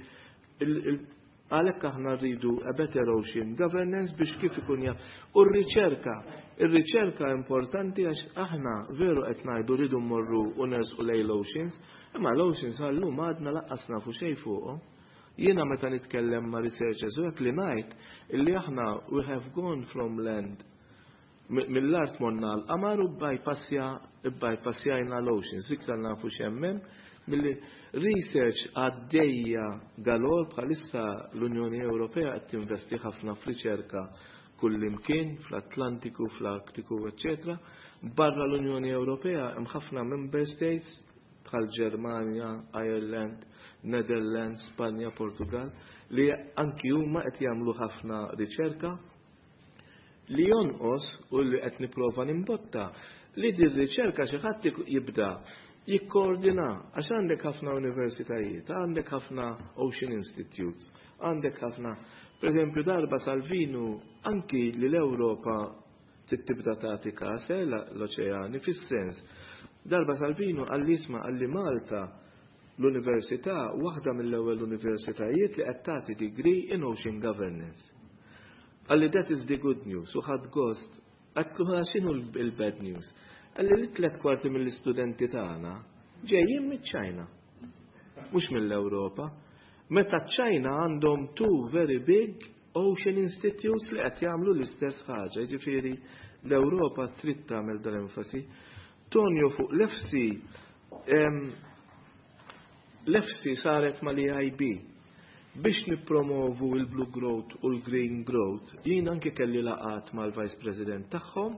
għalhekk aħna rridu a better ocean governance biex kif ikun jaf. U r-riċerka, Ir-riċerka importanti għax aħna veru qed ngħidu rridu mmorru u nersqu lejn l-oceans, imma l-oceans għallum għadna lanqas nafu xejn fuqhom. Jiena meta nitkellem ma' researchers u hekk li ngħid illi aħna we have gone from land, mill-art morna l-qamar u bypassjajna l-oceans, iktar nafu x'hemm milli research għaddejja galore. Bħalissa l-Unjoni Ewropea qed tinvesti ħafna f'riċerka kullimkien, fl-Atlantiku, fl-Artiku, eccetera. Barra l-Unjoni Ewropea hemm ħafna member states bħal Ġermanja, Ireland, Netherlands, Spanja, Portugal, li anki huma qed jagħmlu ħafna riċerka. Li jonqos u li qed nipprova nimbotta li din riċerka xi ħadd jibda jikkoordina, għax għandek ħafna universitajiet, għandek ħafna Ocean Institutes, għandek ħafna. Per eżempju, darba Salvinu anki li l-Ewropa tibda tagħti kas l-oċeani fis-sens. Darba Salvinu qalli, "Isma'," qalli, "Malta l-università waħda mill-ewwel universitajiet li qed tagħti degree in Ocean Governance." Qalli, "That is the good news," u ħadt gost. Għedtlu, "X'inhu il-bad news?" Qalli li 3/4 mill-istudenti tagħna ġejjin miċ-Ċajna. Mhux mill-Ewropa. Meta ċ-Ċajna għandhom two very big Ocean Institutes li qed jagħmlu l-istess ħaġa, jiġifieri l-Ewropa trid tagħmel dal-enfasi. Tonio, fuq l-EFSI, l-EFSI saret mal-EIB biex nippromovu il-Blue Growth u l-Green Growth. Jien anki kelli laqgħat mal-Vice President tagħhom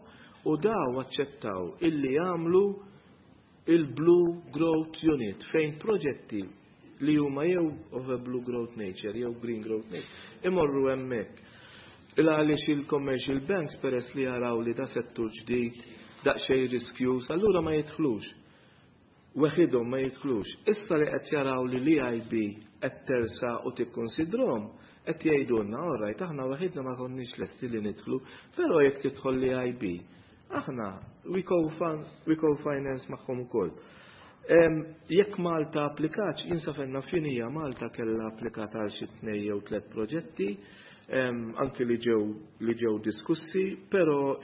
u daw aċċettaw illi jagħmlu il-Blue Growth Unit fejn proġetti li huma jew of a blue growth nature jew green growth nature imorru hemmhekk. Il għaliex il-commercial banks, peress li jaraw li da settur ġdid daqsxejn riskjuż, allura ma jidħlux. Weħidhom ma jidħlux. Issa li qed jaraw li l-EIB qed tersaq u tikkonsidrhom, qed jgħidulna, "All right, aħna waħidna ma konniex lesti li nidħlu, però jekk tidħol l-EIB, aħna we co-finance magħhom ukoll." Jekk Malta applikatx, jinsafenna finija Malta kella applikat għal xi tnej jew tliet proġetti, anki li ġew diskussi, però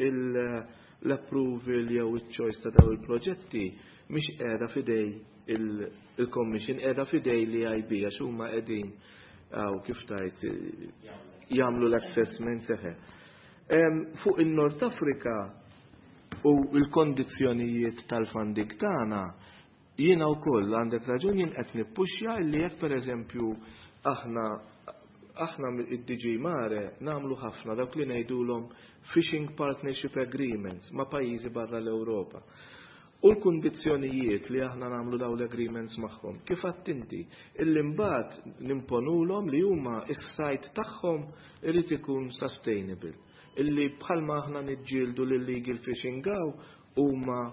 l-approval jew il-choice ta' daw il-proġetti mhix qiegħda f'idejn il-Commission, qiegħda f'idejn l-EIB, għax huma qegħdin għaw kif tajt jagħmlu l-assessment seħe. Fuq il-Nord Afrika u l-kondizzjonijiet tal-funding tagħna, jiena wkoll għandek raġun, jien qed nippuxja li jekk pereżempju aħna id-DG Mare nagħmlu ħafna dawk li ngħidulhom Fishing Partnership Agreements ma' pajjiżi barra l-Ewropa. U l-kundizzjonijiet li aħna nagħmlu daw l-agreements magħhom, kif inti, illi mbagħad nimponulhom li huma is-sajd tagħhom irid ikun sustainable. Illi bħalma aħna niġġieldu l-illegal fishing hawn, huma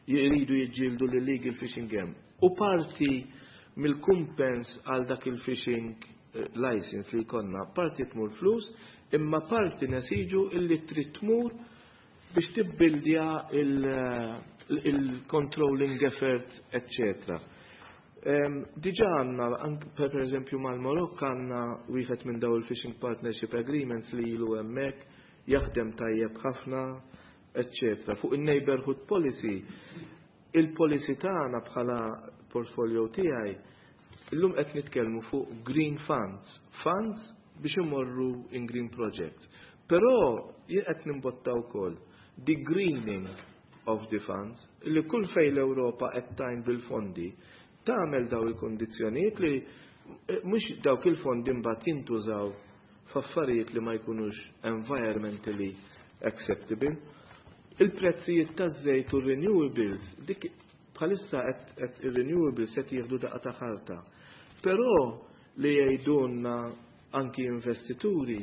jridu jiġġieldu l-illegal fishing hemm. U parti mill-kumpens għal dak il-fishing license li jkollna, parti tmur flus, imma parti nesiġu illi trid tmur biex tibbildja il-controlling effort, etc. Diġa għandna, per eżempju mal-Marokk għandna wieħed minn daw il-Fishing Partnership Agreements li ilu hemmhekk, jaħdem tajjeb ħafna, etc. Fuq il-Neighborhood Policy, il-policy tagħna bħala portfolio tiegħi, illum qed nitkellmu fuq green funds, funds biex imorru in green projects. Però jien qed nimbotta wkoll the greening of the funds, li kull fej l-Ewropa qed tgħin bil-fondi tagħmel daw il-kondizzjonijiet li mhux dawk il-fondi mbagħad jintużaw f'affarijiet li ma jkunux environmentally acceptable. Il-prezzijiet taż-żejt u renewables, dik bħalissa qed ir-renewables qed jieħdu daqqa ta' ħarta. Però li jgħidulna anki investituri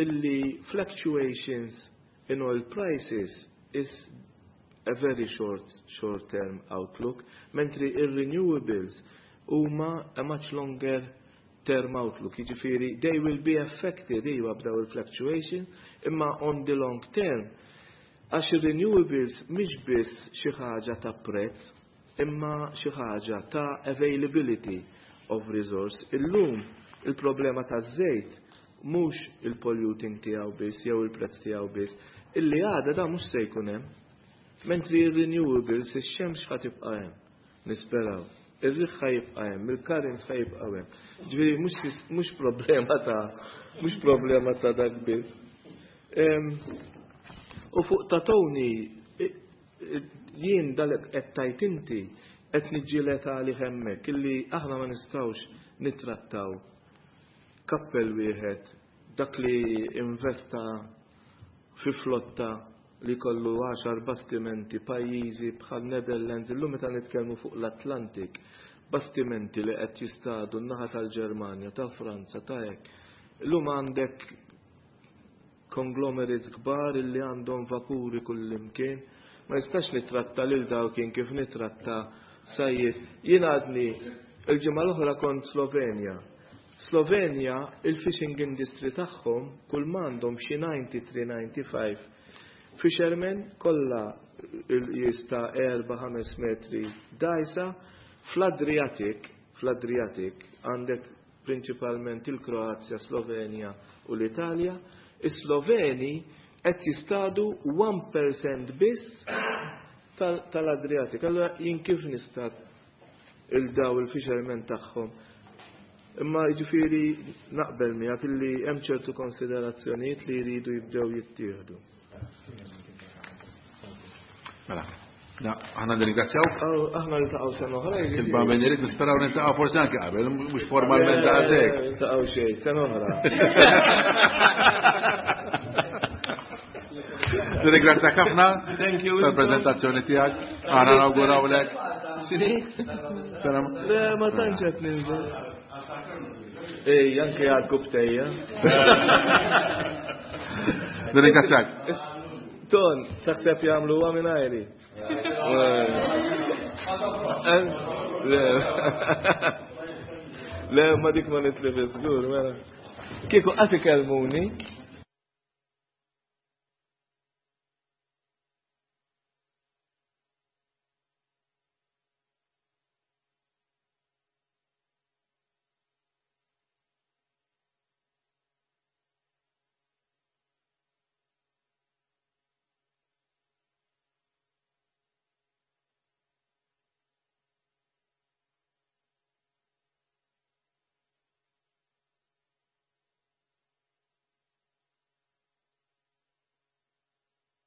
illi fluctuations in oil prices is a very short term outlook, mentri ir-renewables huma a much longer term outlook. Jiġifieri they will be affected iva b'daw il-fluctuation, imma on the long term, għax ir-renewables mhix biss xi ħaġa ta' prezz, imma xi ħaġa ta' availability of resource. Illum il-problema ta' żejt mhux il-polluting tiegħu biss jew il-prezz tiegħu biss, Illi għada da mhux se jkun hemm. Mentri r-renewables ix-xemx ħa tibqa' hemm. Nisperaw. Ir-riħ ħa jibqa' hemm, il-current ħa jibqa' hemm. Ġifieri mhux problema ta' mhux problema ta' dak biss. U fuq ta' Tony, jien dalek qed tajt inti qed niġġieled għalih hemmhekk illi aħna ma nistgħux nittrattaw kappell wieħed dak li investa fi flotta li kollu 10 bastimenti pajjiżi bħal Netherlands illum meta nitkellmu fuq l-Atlantik bastimenti li qed jistadu n-naħa tal-Ġermanja, ta' Franza, ta' hekk. Illum għandek conglomerates kbar illi għandhom vapuri kullimkien. Ma nistax nitratta lil dawk kien kif nitratta sajjied. Jien għadni il-ġimgħa l-oħra kont Slovenja. Slovenja il-fishing industry tagħhom kull m'għandhom xi 93-95 fishermen kollha jista' 4-5 metri dgħajsa fl-Adriatic, fl-Adriatic għandek prinċipalment il-Kroazja, Slovenja u l-Italja. Is-Sloveni qed jistadu 1% biss tal-Adriatic. Allora jien kif nista' il-daw il-fishermen tagħhom? Imma jiġifieri naqbel miegħek illi hemm ċertu konsiderazzjonijiet li jridu jibdew jittieħdu. Mela, aħna nirringrazzjawk. Aħna niltaqgħu sena oħra. Kif min irid nisperaw niltaqgħu forsi anke qabel, mhux formalment għalhekk. Niltaqgħu xejn, sena oħra. Nirringrazzjak ħafna Thank you. tal-preżentazzjoni tiegħek. Aħna nawgurawlek. X'inhi? Le, ma tantx qed ninżel. Ej, anke għal kubtejja. Nirringrazzjak. Ton, taħseb jagħmlu huwa minn ajri. Le. Le, ma dik ma nitlif żgur, mela. Kieku qatt ikellmuni.